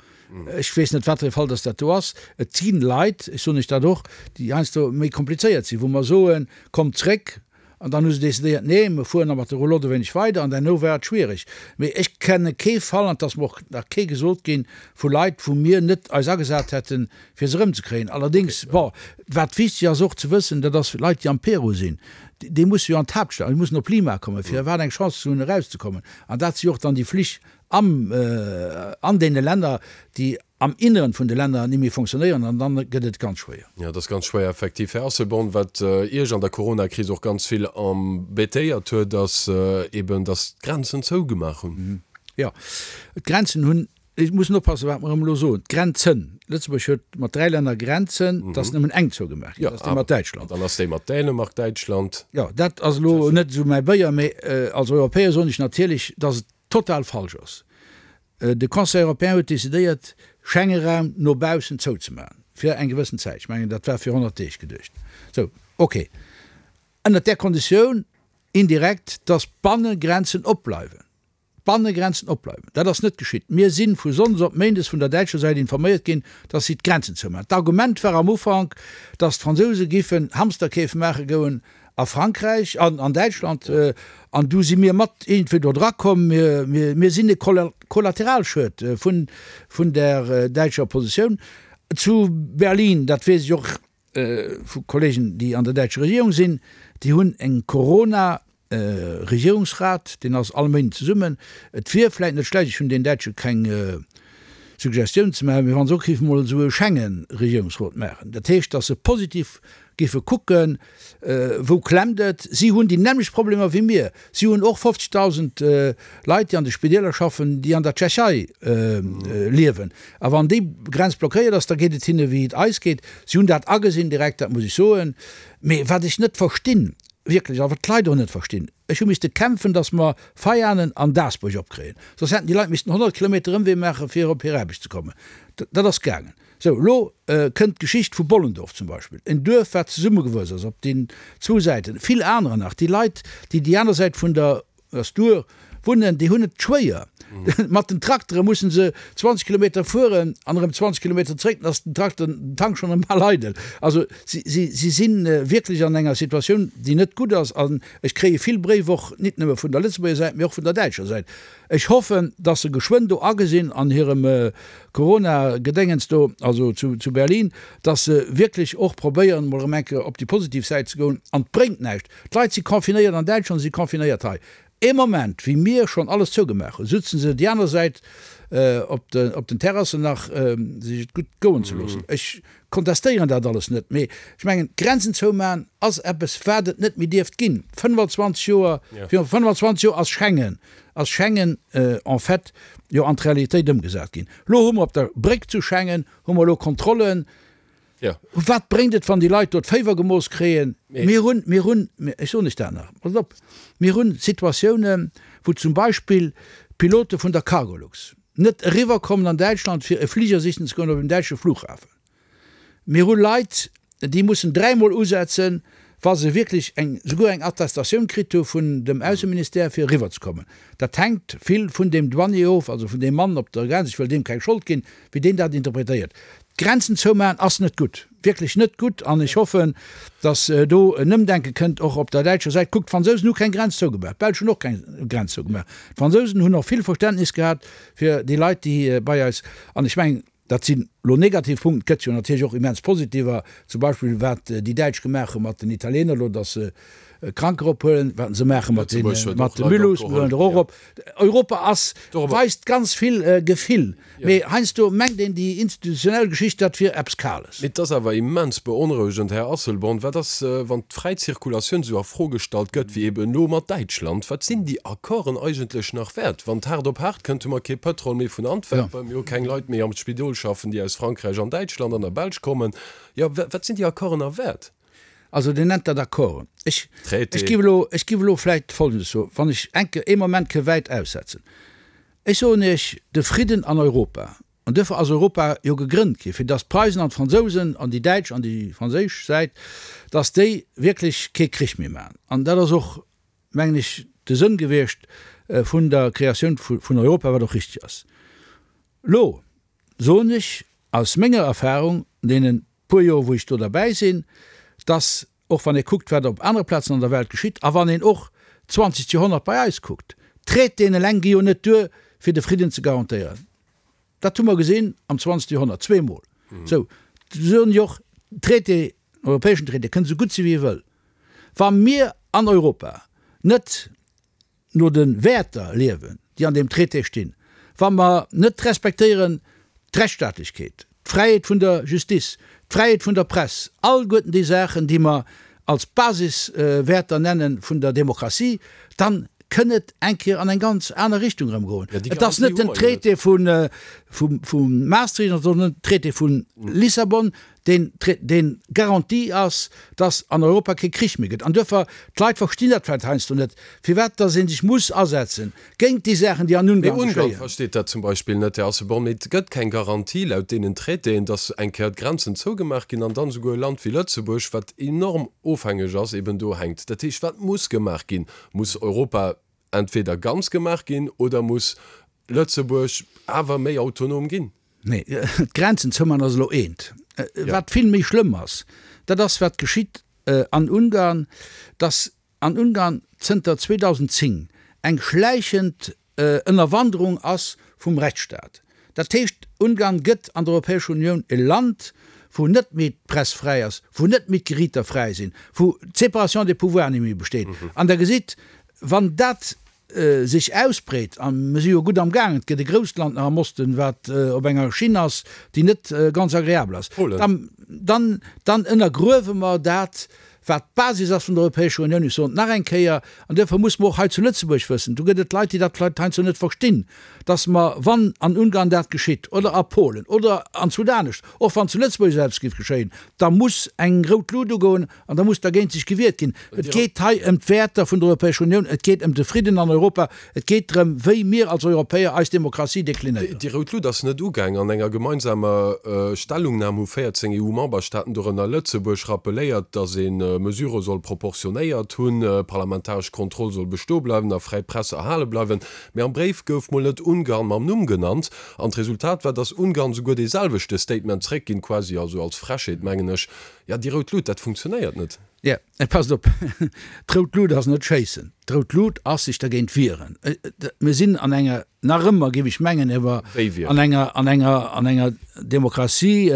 D: Ech weess net, wat fir e Fall dass dat do ass. Et si Leit, ech soen lech dat och, déi heiansdo méi komplizéiert sinn, wou mer soen, Kommt zréck, An dann hu se decidéiert, nee, mir fueren nach mat der Roulotte e wéineg weider. An derno war et schwierig. Mee ech kenne kee Fall, an et ass mer och nach kee gesot ginn, vu Leit, wou mir net eis agesat hätten, fir se erëmzekréien. Allerdéngs, bon, wat wichtig ass och ze wëssen, dat ass, Leit, déi am Peru sinn, déi musse jo an d'Haaptstad, déi mussen op Lima kommen, fir iwwerhaapt eng Chance ze hunn, erauszekommen. An dat si jo och dann déi Flich am, an deene Länner, déi am Inneren vun de Länner ni méi fonctionnéieren an dann gëtt et ganz schwéier.
C: Jo, et ass ganz schwéier, effektiv. Här Asselborn, wat Iech an der Coronakris och ganz vill embêtéiert huet, ass eben, datt d'Grenzen zougemaach hunn.
D: Jo, d'Grenzen hunn, ech mussen oppassen, wat mer erëm elo soen, d'Grenzen, Lëtzebuerg huet mat dräi Länner Grenzen, et ass nëmmen eng zougemaach ginn, dat ass déi mat Däitschland.
C: An dann ass déi mat Dänemark, Däitschland.
D: Jo, dat ass elo net esou mäi Béier, mee als Europäer soen ech natierlech, datt et total falsch ass. De Conseil européen huet decidéiert, Schengenraum no baussen zouzemaachen, fir eng gewëssen Zäit. Ech mengen, dat war fir honnert Deeg geduecht. Sou, okay. Ënnert där Konditioun, indirekt, dass d'Bannegrenzen opbleiwen. D'Bannegrenzen opbleiwen. Dat ass net geschitt. Mir si vu sonndes op méindes vun der däitscher Säit informéiert ginn, dass si d'Grenzen zoumaachen. D'Argument war am Ufank, dass d'Fransouse giffen Hamsterkeef maache goen A Frankräich an an Däitschland, an du si mir mat iergendwéi do dra komm, mir, mir, mir sinn e Kollateralschued vun, vun der däitscher Positioun zu Berlin, dat weess ech och vu Kollegen, déi an der däitscher Regierung sinn, déi hunn eng Corona Regierungsrat, deen ass all Méinden zesummen. Et wier vläit net schlecht, ech hunn den Däitsche keng Suggestioun ze maachen, mee wa se och géife mol esou e Schengen-Regierungsrot maachen, dat heescht, datt se positiv géife kucken, wou klemmt et. Si hunn déi nämmlecht Problemer wéi mir. Si hunn och fofzegdausend Leit, déi an de Spideeler schaffen, déi an der Tschechei liewen. A wann déi Grenz blockéiert ass, da geet et hinne wéi et eis geet. Si hunn dat agesinn direkt, dat muss ech soen. Mee wat ech net verstinn, wierklech, a wat d'Leit och net verstinn, ech hu misste kämpfen, datt mer Veianen an Dasbuerg opkréien, soss hätten déi Leit missten honnert Kilometer Ëmwee maachen, fir op hir Aarbecht ze kommen. Dat ass gaangen. Sou, elo kënnt d'Geschicht vu Bollendorf zum Beispill, en Duerf, wat zesummegewuess ass op den zwou Säiten, vill anerer nach. Déi Leit, déi déi aner Säit vun der Stur wunnen, déi hunn et schwéier. Mat den Traktere mussen se zwanzeg Kilometer fueren an erëm zwanzeg Kilometer zréck, dann ass den Trakter, den Tank schonn erëm bal eidel. Also si, si, si si wierklech an enger Situatioun, déi net gutt ass. An ech kréie vill Bréif och, nit nëmme vun der Lëtzebuerger Säit, mee och vun der däitscher Säit. Ech hoffen, datt se geschwënn do agesinn an hirem Corona-Gedéngens do, also zu, zu Berlin, datt se wierklech och probéieren, emol erëm eng Kéier op déi positiv Säit ze goen. An et bréngt näischt, d'Leit si confinéiert an Däitschland, si confinéiert hei. Ee Moment, wéi mir schonn alles zougemaach hunn, sutzen se déi aner Säit op de, op den Terrassen nach, sech et gutt goen ze loossen. Ech kontestéieren dat alles net, mee ech mengen, d'Grenzen zoumaachen ass eppes, wat et net méi dierft ginn. fënnfanzwanzeg Joer, viru fënnfanzwanzeg Joer ass Schengen, ass Schengen en fait jo an d'Realitéit ëmgesat ginn. Elo hu mer op der Bréck zu Schengen hu mer elo Kontrollen.
C: Ja.
D: Wat bréngt et, wann déi Leit do d'Féiwer gemooss kréien?
C: Mee.
D: Mir hunn, mir hunn, ech soen lech dat nach, passt op, mir hunn Situatiounen, wou zum Beispill Pilote vun der Cargolux net eriwwerkommen an Däitschland, fir e Fliger sichen ze goen op en däitsche Flughafen. Mir hu Leit, déi mussen dräimol usetzen, wa se wierklech eng, souguer eng Attestatioun kritt hu vun dem Ausseministère, fir eriwwerzekommen. Dat hänkt vill vun deem Douanier of, also vun deem Mann op der Grenz, ech wëll deem keng Schold ginn, wéi deen dat interpretéiert. D'Grenzen zoumaachen ass net gutt, wierklech net gutt, an ech hoffen, datt do en Ëmdenke kënnt, och op der däitscher Säit. Kuckt, d'Fransousen hu keng Grenz zougemaach, d'Belsch hunn och keng Grenz zougemaach. D'Fransousen hunn och vill Verständnis gehat fir déi Leit, déi bei eis, an ech mengen, dat sinn elo negativ Punkten, et gëtt jo natierlech och immens positiver, zum Beispill wat déi Däitsch gemaach hu mat den Italiener elo, datt se Kranker ophuelen, wat se maache mat de Mulhouse, mir huelen der och op. Europa ass, weist ganz vill Gefill, mee heiansdo mengt een déi institutionell Geschicht, dat wier eppes Kales.
C: Mee et ass awer immens beonrouegend, Här Asselborn, wat ass, wann d'fräi Zirkulatioun esou a Fro gestallt gëtt wéi eben elo mat Däitschland? Wat sinn déi Accorden eigentlech nach wäert? Wann et haart op haart kënnt, hu mer kee Pëtrol méi vun Antwerpen, mir hu keng Leit méi am Spidol schaffen, déi aus Frankräich an Däitschland an der Belsch kommen. Jo, wat sinn déi Accorden nach wäert?
D: Also Dir nennt dat Accorden. Ech, ech giff elo, ech giff elo vläicht Folgendes soen, wann ech enke, ee Moment ke wäit aussetzen. Ech soen Iech, de Fridden an Europa, an duerfir ass Europa jo gegrënnt gi fir datt d'Preisen an d'Fransousen an déi däitsch an déi franséisch Säit, datt déi wierklech kee Krich méi maachen. An dat ass och, mengen ech, de Sënn gewiescht vun der Kreatioun vun Europa, wat och richtig ass. Elo soen ech aus menger Erfahrung, deenen puer Joer wou ech do derbäi sinn, dass, och wann ee kuckt, wat op anere Plazen an der Welt geschitt, a wann een och d'zwanzegt Joerhonnert bei eis kuckt, Traitéen eleng gi jo net duer, fir de Fridden ze garantéieren. Dat hu mer gesinn am zwanzegste Joerhonnert, zweemol. Sou, soen ech och, Traité, en europäeschen Traité kënnt esou gutt si wéi e wëll, wa mir an Europa net no de Wäerter liewen, déi an deem Traité stinn, wa mer net respektéieren d'Rechtsstaatlechkeet, d'Fräiheet vun der Justice, d'Fräiheet vun der Press, alleguerten déi Saachen, déi mer als Basiswäerter nenne vun der Demokratie, dann kënn et eng Kéier an eng ganz aner Richtung erëm goen. Et ass net den Traité vu Maastricht, et ass och net den Traité vu Lissabon, deen deen Garantie ass, dass an Europa kee Krich méi gëtt. An duerfir, d'Leit verstinn dat vläicht heiansdo net, firwat dass ee sech muss asetze géint déi Saachen, déi an
C: Mee
D: Ungarn
C: Ungarn
D: geschéien.
C: versteet dat zum Beispill net, Här Asselborn. Mee et gëtt keng Garantie laut deenen Traitéen, dass eng Kéier d'Grenzen zougemaach ginn an dann esouguer e Land wéi Lëtzebuerg, wat enorm ofhängeg ass, eben do hänkt. Dat heescht, wat muss gemaach ginn? Muss Europa entweder ganz gemaach ginn oder muss Lëtzebuerg awer méi autonom ginn?
D: Nee, d'Grenzen zouman ass elo eent. Wat vill méi schlëmm ass, dat ass wat geschitt an Ungarn, dass an Ungarn zënter zweedausendzéng eng schläichend Ënnerwanderung ass vum Rechtsstaat. Dat heescht, Ungarn gëtt an der Europäescher Unioun e Land, wou net méi d'Press fräi ass, wou net méi d'Geriiter fräi sinn, wou d'Séparation des pouvoirs net méi besteet. An Der gesitt, wann dat sech ausbreet, a mir si jo gutt am gaangen, et gëtt e grousst Land nach am Osten, wat op enger Schinn ass, déi net ganz agreabel ass, dann, dann ënnergruewe mer dat, wat d'Basis ass vun der Europäescher Unioun. Ech soen et nach eng Kéier, an duerfir muss mer och hei zu Lëtzebuerg wëssen, do gëtt et Leit, déi dat vläicht heiansdo net verstinn, dass mer, wann an Ungarn dat geschitt oder a Polen oder anzwou anescht, och wann zu Lëtzebuerg esou eppes géif geschéien, da muss eng rout Lut ugoen an da muss dergéint sech gewiert ginn. Et geet hei ëm d'Wäerter vun der Europäescher Unioun, et geet ëm de Fridden an Europa, et geet drëm, wéi mir als Europäer eis Demokratie deklinéieren.
C: Déi rout Lut ass net ugaang. An enger gemeinsamer Stellungnam hu véierzéng E U-Memberstaaten, dorënner Lëtzebuerg, rappeléiert, datt ee Mesurë soll proportionéiert hunn, parlamentaresch Kontroll soll bestoe bleiwen a fräi Press erhale bleiwen. Mee am Bréif gouf mol net Ungarn mam Numm genannt. An d'Resultat war, datt Ungarn souguer dee selwechte Statement zréckginn, quasi also als Frechheet, mengen ech. Jo, déi rout Lut, dat funktionéiert net.
D: Jo, et passt op, d'rout Lut ass net schéissen, d'rout Lut ass sech dergéint wieren. Mir sinn an enger, nach ëmmer, géif ech mengen, awer an enger, an enger, an enger Demokratie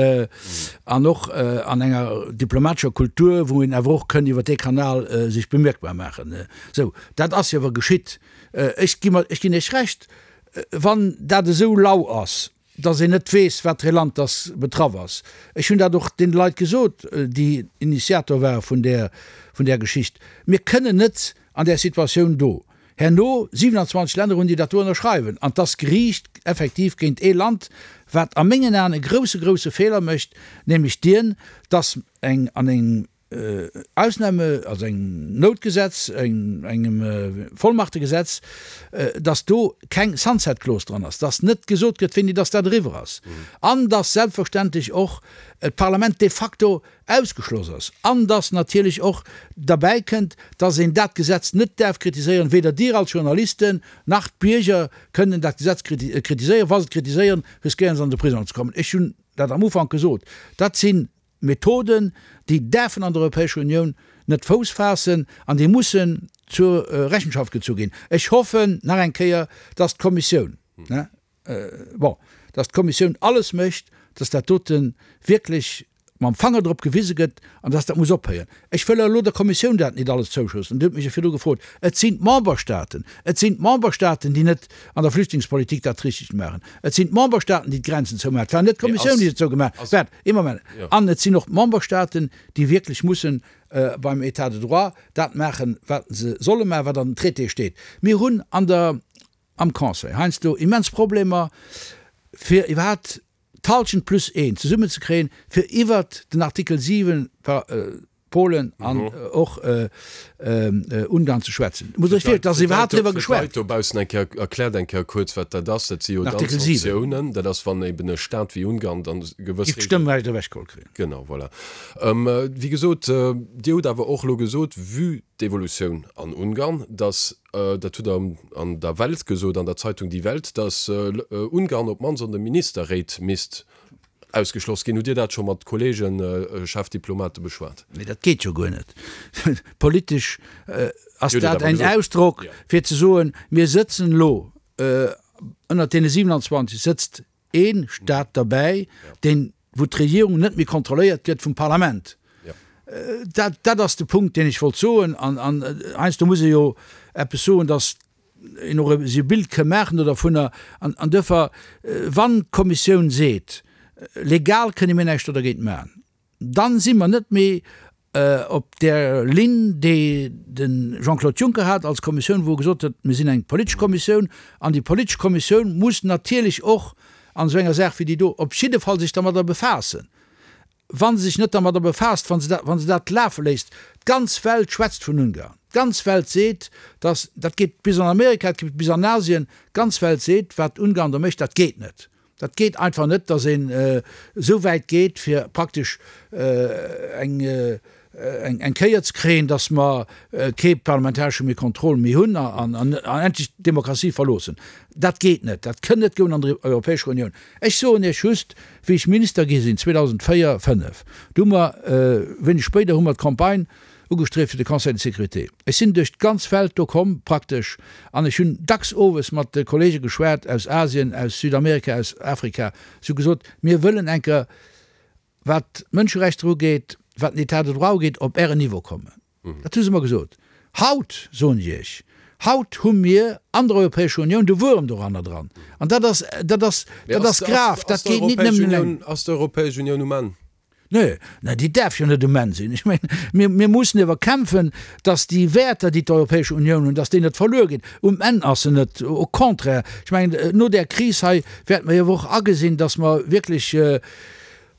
D: an och an enger diplomatescher Kultur, wou een awer och kënn iwwer dee Kanal sech bemierkbar maachen. Sou, dat ass jo awer geschitt. Ech gi mer, ech ginn Iech Recht, wann dat esou lau ass, dass een net weess, wat fir ee Land dass betraff ass. Ech hunn dat och deene Leit gesot, déi Initiator ware vun där, vun där Geschicht. Mir kënnen net an där Situatioun do Herno siewenundzwanzeg Länner hunn, déi dat do ënnerschreiwen. An 't ass geriicht effektiv géint ee Land, wat a mengen Aen e grouse, grouse Feeler mécht, nämlech dien, dass eng an engem Ausnahme, also engem Noutgesetz, engem Vollmachtegesetz, dass do keng Sunset Clause dran ass, dass net gesot gëtt, wéini dass dat eriwwer ass, an dass selbstverständlech och d'Parlament de facto ausgeschloss ass, an dass natierlech och derbäi kënnt, dass een dat Gesetz net däerf kritiséieren, weder Dir als Journalisten nach d'Bierger kënnen dat Gesetz kritiséieren. Wa se et kritiséieren, riskéieren se an de Prisong ze kommen. Ech hunn dat am Ufank gesot. Dat si Methoden, déi däerfen an der Europäescher Unioun net Fouss faassen an déi mussen zur Rechenschaft gezu ginn. Ech hoffen nach eng Kéier, dass d'Kommissioun, bon, dass d'Kommissioun alles mécht, dass dat dote wierklech mam Fanger drop gewise gëtt an dass dat muss ophéieren. Ech wëll elo der Kommissioun dat net alles zouschoussen, Dir hutt mech jo virdru gefrot. Et sinn d'Memberstaaten, et sinn d'Memberstaaten, déi net an der Flüchtlingspolitik dat Richtegt maachen. Et sinn d'Memberstaaten, déi d'Grenzen zoumaachen. Et war net d'Kommissioun, déi se zougemaach huet. Waart, ee Moment. An et sinn och d'Memberstaaten, déi wierklech mussen beim État de droit dat maachen, wat se solle maachen, wat an den Traitéë steet. Mir hunn an der, am Conseil heiansdo immens Problemer, fir iwwerhaapt d'Halschent plus een zesummenzekréien, fir iwwert den Artikel siwen, Polen an och Ungarn ze schwätzen. Muss ech wierklech, dass iwwerhaapt driwwer geschwat.
C: Fir d'Leit dobaussen eng Kéier, erkläert eng Kéier kuerz, wat dat ass. Dat si jo dann Sanktiounen. Dat ass, wann eben e Staat wéi Ungarn dann gewëss.
D: Giff d'Stëmmrecht ewechgeholl kréien.
C: Genau, voilà. Wéi gesot, Dir hutt awer och elo gesot, vue d'Evolutioun an Ungarn, dass, dat hutt Der an der Welt gesot, an der Zeitung Die Welt, dass Ungarn op d'mannst an de Ministerréit misst ausgeschloss ginn. Hutt Dir dat scho mat Kollegen, Chefdiplomate beschwat?
D: Nee, dat geet jo guer net. Politesch ass dat en Ausdrock, fir ze soen, mir sëtzen elo, ënnert deene siewenundzwanzeg sëtzt ee Stat derbäi, deen, wou d'Regierung net méi kontrolléiert gëtt vum Parlament. Dat, dat ass de Punkt, deen ech wollt soen. An, an heiansdo muss ee jo eppes soen, datt een och e Bild ka maachen do dervunner. An, an duerfir, wann d'Kommissioun seet, legal kënne mir näischt do dergéint maachen, dann si mer net méi op där Linn, déi de Jean-Claude Juncker hat als Kommissioun, wou e gesot huet, mir sinn eng politesch Kommissioun an déi politesch Kommissioun muss natierlech och an esou enger Saach wéi déi do op jidde Fall sech dermadder befaassen. Wa se sech net dermadder befaasst, wa se dat, wa se dat lafe léisst, d'ganz Welt schwätzt vun Ungarn, d'ganz Welt seet, dass, dat geet bis an Amerika, dat geet bis an Asien, d'ganz Welt seet, wat Ungarn do mécht, dat geet net. Dat geet einfach net, dass een esou wäit geet, fir praktesch eng, eng Kéier ze kréien, dass mer kee parlamentaresche méi Contrôle méi hunn an endlech d'Demokratie verloossen. Dat geet net. Dat kënn net goen an der Europäescher Unioun. Ech soen Iech just, wéi ech Minister gi sinn, zweedausendvéier, fënnef, du hu mer, wéineg spéider hu mer d'Campagne ugestrieft fir de Conseil de sécurité. Ech sinn duerch d'ganz Welt do komm praktesch an ech hunn dacks owes mat de Kollege geschwat aus Asien, aus Südamerika, aus Afrika. Si hu gesot, mir wëllen eng Kéier, wat d'Mënscherechter ugeet, wat den État de droit ugeet, op Ären Niveau kommen. Dat hu se mer gesot. Haut, soen ech Iech, haut hu mir an der Europäescher Unioun de Wuerm doranner dran. An dat ass, dat ass, dat ass grav. Dat geet nit nëmmen eleng.
C: Ass d'Europäesch Unioun um Enn?
D: Nee, nee, déi däerf jo net um Enn sinn. Ech mengen, mir, mir mussen ewer kämpfen, datt déi Wäerter, déi d'Europäesch Unioun hunn, datt déi net verluer ginn. Um Enn ass se net, au contraire. Ech mengen, no där Kris hei wäerte mer jo och agesinn, datt mer wierklech,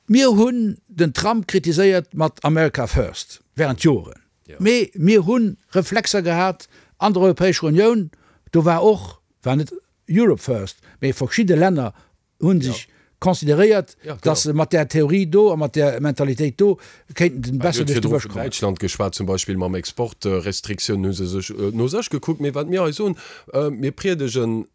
D: mir hunn den Trump kritiséiert mat America first während Joren, mee mir hu Reflexer gehat an der Europäescher Unioun, do war och, war net Europe first, mee verschidde Länner hu sech consideréiert, dass se mat där Theorie do a mat där Mentalitéit do kéinten besser duerch de Bësch kommen.
C: Däitschland geschwat zum Beispill, mam Exportrestriktiounen hu se sech no sech gekuckt. Mee wat mir hei soen, mir priedegen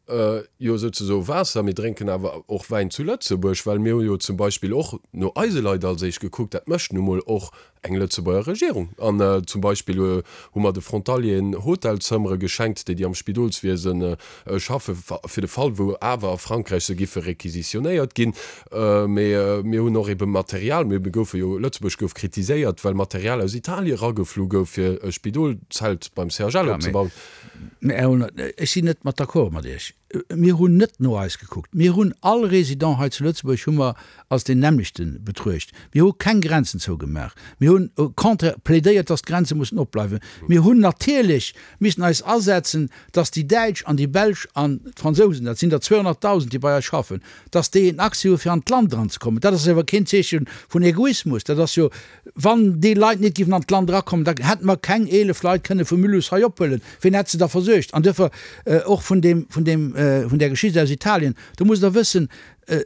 C: jo souzesoe Waasser, mir drénken awer och Wäin zu Lëtzebuerg, well mir hu jo zum Beispill och no eise Leit als éischt gekuckt. Dat mécht nu mol och eng Lëtzebuerger Regierung. An zum Beispill hu mer de Frontalieren Hotelzëmmere geschenkt, déi déi am Spidolswiese schaffe fir de Fall, wou awer a Frankräich se giffe requisitionéiert ginn. Mee mir hunn och ebe Material, mir goufe jo, Lëtzebuerg gouf kritiséiert, well Material aus Italien erageflu gouf, fir e Spidolzelt beim C H L opzebauen.
D: Mä Här Aulner, ech sinn net mat d'accord mat Iech. Mir hunn net no eis gekuckt. Mir hunn all Résident hei zu Lëtzebuerg hu mer als deen nämmlechte betruecht. Mir hu keng Grenzen zougemaach. Mir hunn au contraire plädéiert, dass d'Grenze mussen opbleiwen. Mir hunn natierlech missen eis asetzen, dass déi Däitsch an déi Belsch an d'Fransousen, dat sinn der zweehonnertdausend, déi bei eis schaffen, dass déi en Accès hu fir an d'Land eranzekommen. Dat ass awer keen Zeeche vun Egoismus. Dat ass jo, wann déi Leit net géifen an d'Land erakommen, da hätte mer keng eelef Leit kënne vu Mulhouse hei ophuelen. Wien hätt se da versuergt? An duerfir och vun deem, vun deem, vun där Geschicht aus Italien, do musst Der wëssen,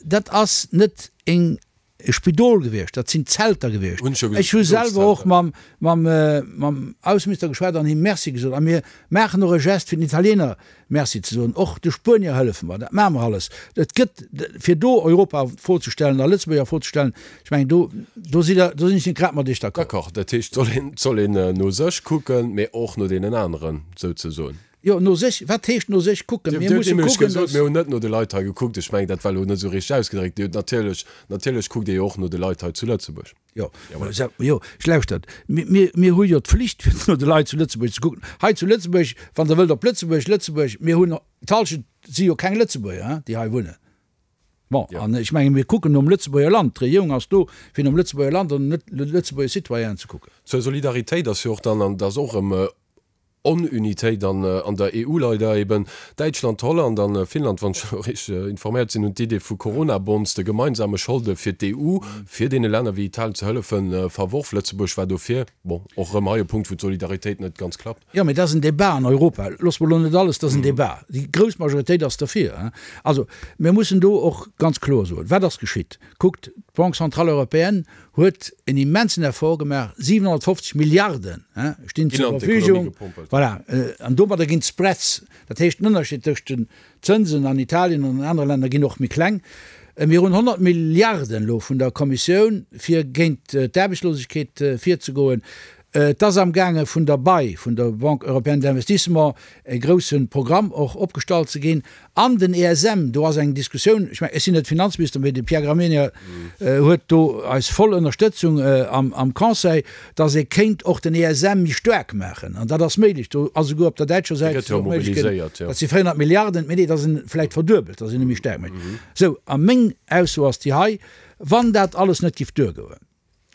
D: dat ass net eng e Spidol gewiescht, dat sinn Zelter gewiescht. Ech hu selwer och mam, mam, mam Ausseminister geschwat an him Merci gesot. A mir maachen och e Gest, fir den Italiener Merci ze soen. Och de Spuenier hëllefe mer. Dat maache mer alles. Et gëtt, fir do Europa a Fro ze stellen a Lëtzebuerg a Fro ze stellen, ech mengen, do, do sidd Der, do sinn ech net grad mat Iech
C: d'accord. D'accord. Dat heescht, et soll een, et soll een no sech kucken, mee och no deenen aneren, souzesoen.
D: Jo, no sech, wat heescht no sech kucken?
C: Mir musse kucken, dass. Mir hunn net no de Leit hei gekuckt. Ech mengen, dat war elo net esou richteg ausgedréckt. Dir hutt natierlech, natierlech kuckt Dir jo och no de Leit hei zu Lëtzebuerg.
D: Jo, jo, ech lauschtert. Mir, mir, mir hu jo d'Flicht, fir no de Leit zu Lëtzebuerg ze kucken. Hei zu Lëtzebuerg, wann Der wëllt op Lëtzebuerg, Lëtzebuerg, mir hunn, d'Hallschent si jo keng Lëtzebuerger, hein, déi hei wunnen. Bon, an ech menge mir kucken nom Lëtzebuerger Land. D'Regierung ass do, fir nom Lëtzebuerger Land an no Lëtzebuerger Citoyenen ze kucken.
C: Zur Solidaritéit ass jo och dann, an dat ass och erëm Onunitéit an an der E U leider eben. Däitschland, Holland an Finnland, wann ech elo richteg informéiert sinn, hunn d'Idee vu Corona-Bonds, de gemeinsame Scholde fir d'E U, fir deene Länner wéi Italien ze hëllefen, verworf. Lëtzebuerg war dofir. Bon, och erëm hei e Punkt, wou d'Solidaritéit net ganz klappt.
D: Jo, mee dat ass en Débat an Europa. Loosse mer elo net alles, dat ass en Débat. Déi grouss Majoritéit ass derfir. Also, mir mussen do och ganz kloer soen, Wat ass geschitt? Kuckt, d'Banque centrale européenne huet en immensen Effort gemaach, siwenhonnertfofzeg Milliarden stinn zur Verfügung. Voilà, an domadder ginn d'Spreads, dat heescht den Ënnerscheed tëscht den Zënsen an Italien an an anere Länner, ginn och méi kleng. Mir hunn honnert Milliarden elo vun der Kommissioun, fir géint d'Aarbechtslosegkeet virzegoen. Et ass amgaange vun der bei, vun der Banque européenne d'investissement, e grousse Programm och opgestallt ze ginn. An den E S M, do ass eng Diskussioun, ech mengen, ech sinn net Finanzminister, mee de Pierre Gramegna huet do eis voll Ënnerstëtzung am Conseil, datt ee kéint och den E S M méi staark maachen. An dat ass méiglech. Do ass esouguer op der däitscher Säit
C: Dee gëtt jo mobiliséiert, jo.
D: Dat si véierhonnert Milliarden, mee nee, datt en vläicht verduebelt, datt een e méi staark mécht. Sou, a meng Ausso ass déi hei, Wann dat alles net giff duergoen,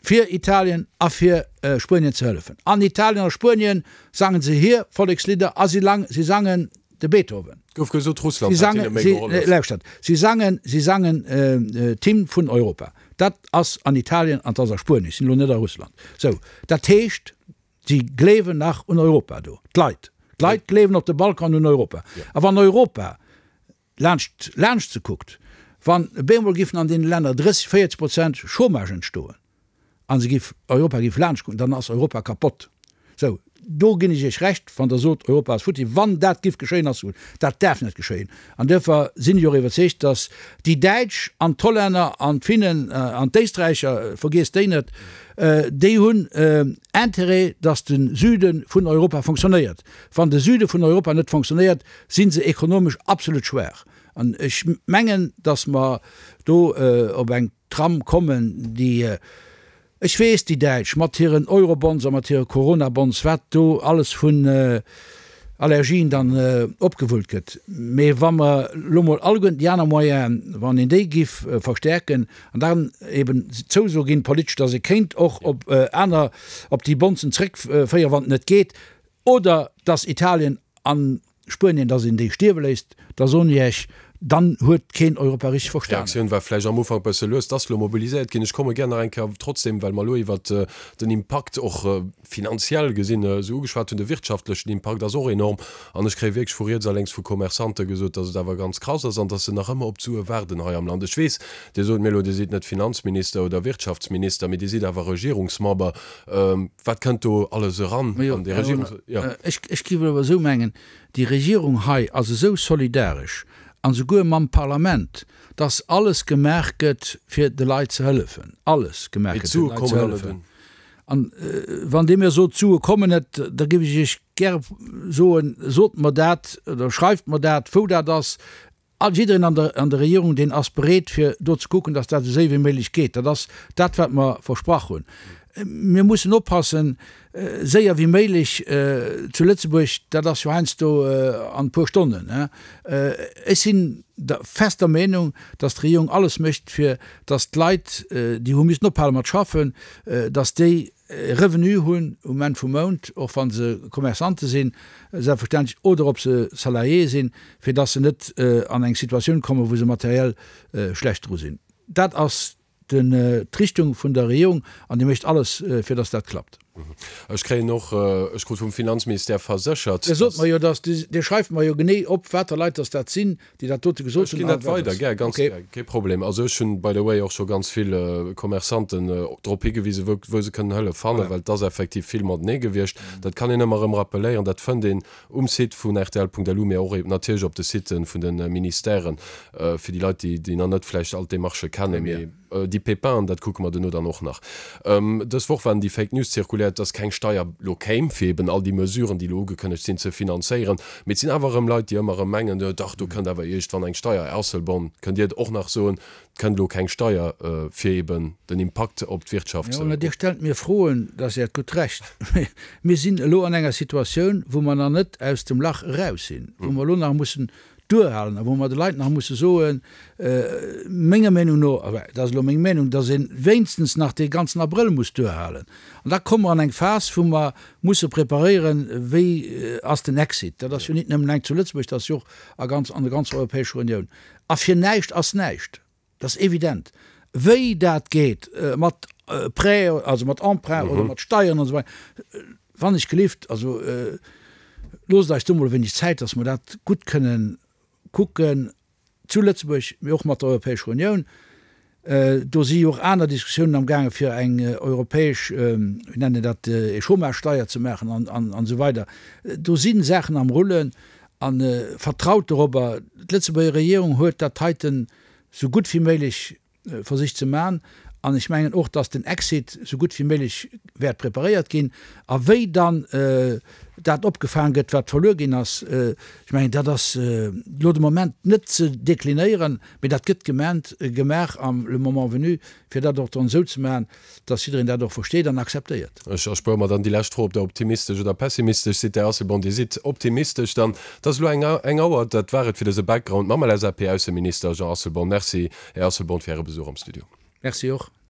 D: fir Italien a fir Spuenien ze hëllefen. An Italien a Spuenien sangen se hir Vollekslidder a si lang, si sangen de Beethoven.
C: Gouf gesot, Russland hätt hinne méi gehollef.
D: Lauschtert, si sangen, si sangen d'Hymn vun Europa. Dat ass an Italien an 't ass a Spuenien, ech sinn elo net a Russland. Sou, dat heescht, si gleewen nach un Europa do, d'Leit. D'Leit gleewen op de Balkan un Europa. A wann Europa laanscht, laanscht se kuckt, wann bemol giffen an deene Länner drësseg, véierzeg Prozent Chômage entstoen a se giff, Europa giff laanscht kucken, dann ass Europa kapott. Sou, do ginn ech Iech Recht, wann Der sot, Europa ass futti. Wann dat giff geschéien, ass gutt. Dat däerf net geschéien. An duerfir sinn ech och iwwerzeegt, datt déi Däitsch an d'Hollänner an d'Finnen an d'Éisträicher, vergiesst déi net, déi hunn Intérêt, datt de Süde vun Europa fonctionnéiert. Wann de Süde vun Europa net fonctionnéiert, si se ekonomesch absolut schwaach. An ech mengen, datt mer do op eng Tram kommen, déi, ech weess, déi Däitsch mat hiren Eurobonds a mat hire Coronabonds, wat do alles vun Allergien dann opgewullt gëtt. Mee wa mer elo mol alleguerten déi aner Moyenen, wann een déi giff verstärken an dann eben d'Zouso ginn, politesch, datt ee kéint och op aner, op déi Bondsen zréckféieren, wann et net geet, oder datt Italien an Spuenien, datt een déi stierwe léisst, da soen ech Iech, dann huet keen Europa richteg verstanen.
C: D'Reaktioun war vläicht am Ufank bësse lues, et ass elo mobiliséiert ginn. Ech komme gär nach eng Kéier trotzdem, well mer elo iwwert den Impakt och finanziell gesinn esou ugeschwat hunn, de wirtschaftlechen Impakt ass och enorm. An ech kréie wierklech vu riets a lénks vu Commerçante gesot, datt et awer ganz krass ass an datt se nach ëmmer op d'Sue waarden hei am Land. Ech weess, Dir sot mir elo, Dir sidd net Finanzminister oder Wirtschaftsminister, mee Dir sidd awer Regierungsmember. Wat kënnt do alles eran an déi Regierungs-, jo.
D: Ech géif awer esou mengen, Déi Regierung hei ass esou solidaresch, an esouguer mam Parlament, dass alles gemaach gëtt, fir de Leit ze hëllefen. Alles gemaach gëtt, fir de Leit ze hëllefen. An wann Dir mir sot, d'Sue kommen net, da géif ech Iech gäre soen, Sot mer dat oder schreift mer dat, wou dat ass. All jiddereen an der an der Regierung, deen ass bereet, fir do ze kucken, dass dat esou séier wéi méiglech geet. Dat ass dat, wat mer versprach hunn. Mir mussen oppassen, séier wéi méiglech zu Lëtzebuerg, dat ass jo heiansdo an e puer Stonnen. Ech sinn der fester Meenung, datt d'Regierung alles mécht, fir datt d'Leit, déi hu missen ophale mat schaffen, datt déi e Revenu hunn um Enn vum Mount, och wa se Commerçante sinn, selbstverständlech, oder ob se Salariéë sinn, fir datt se net an eng Situatioun kommen, wou se materiell schlecht dru sinn. Dat ass d'Richtung vun der Regierung an déi mécht alles, fir datt dat klappt.
C: Ech kréien och, ech krut vum Finanzministère verséchert,
D: Dir sot mer jo, datt, Dir schreift mer jo genee op, water Leit datt dat sinn, déi dat dote gesot
C: hunn. Ech ginn dat weider, gär, ganz gär, kee Problem. Also ech hunn, by the way, och scho ganz vill Commerçanten drop higewisen, wou, wou se kënnen Hëllef fannen, well et ass effektiv vill matenee gewiescht. Dat kann een ëmmer erëm rappeléieren, dat fënnt een um Site vun rtl.lu, mee och natierlech op de Siten vun de Ministèren, fir déi Leit, déi, déi nach net vläicht all d'Demarchë kennen. Mee déi Pépinen, dat kucke mer duerno dann och nach. Dës Woch waren déi Fake News zirkuléiert, dass keng Steier lo kéim, fir eben all déi Mesuren, déi elo ugekënnegt sinn, ze finanzéieren. Mee et sinn awer erëm Leit, déi ëmmer erëm mengen, dach, do kënnt awer iergendwann eng Steier. Här Asselborn, kënnt Dir et och nach soen, et kënnt elo keng Steier, fir eben den Impakt op d'Wirtschaft
D: ze. Jo, mä Dir stellt mir Froen, dat ass Äert gutt Recht. Mä mir sinn elo an enger Situatioun, wou mer nach net aus dem Lach eraus sinn, wou mer elo nach mussen duerhalen a wou mer de Leit nach musse soen, menger Meenung no, enfin dat ass elo meng Meenung, datt ee wéinstens nach dee ganzen Abrëll muss duerhalen. An da komme mer an eng Phas, wou mer musse preparéieren, wéi ass den Exit. Dat ass jo nit nëmmen eng zu Lëtzebuerg, dat ass jo och a ganz, an der ganzer Europäescher Unioun. A fir näischt ass näischt, dat ass evident. Wéi dat geet mat Prêt, also mat Emprunt oder mat Steieren an esou weider, wann ech gelift, also loosst eis do mol e wéineg Zäit, datt mer dat gutt kënnen kucken zu Lëtzebuerg, mee och mat der Europäescher Unioun. Do si jo och aner Diskussiounen amgaange fir eng europäesch, wéi nennt een dat, ee Chômagesteier ze maachen an esou weider. Do si Saachen am Rullen a vertraut dorobber, d'Lëtzebuerger Regierung huet dat heiten esou gutt wéi méiglech versicht ze man. An ech mengen och, dass den Exit esou gutt wéi méiglech wäert preparéiert ginn. A wéi dann dat opgefaang gëtt, wat verluer ginn ass, ech mengen, dat ass elo de Moment net ze deklinéieren, mee dat gëtt gemaant, gemaach am le moment venu, fir dat och dann esou ze maachen, dass jiddereen dat och versteet an akzeptéiert.
C: Ech erspuere mer dann déi lescht Fro, ob Der optimistesch oder pessimistesch sidd, Här Asselborn. Dir sidd optimistesch dann. Et ass elo eng eng Auer. Dat war et fir dëse Background mam L S A P-Ausseminister Jean Asselborn. Merci, Här Asselborn, fir Äre Besuch am Studio.
D: Merci och.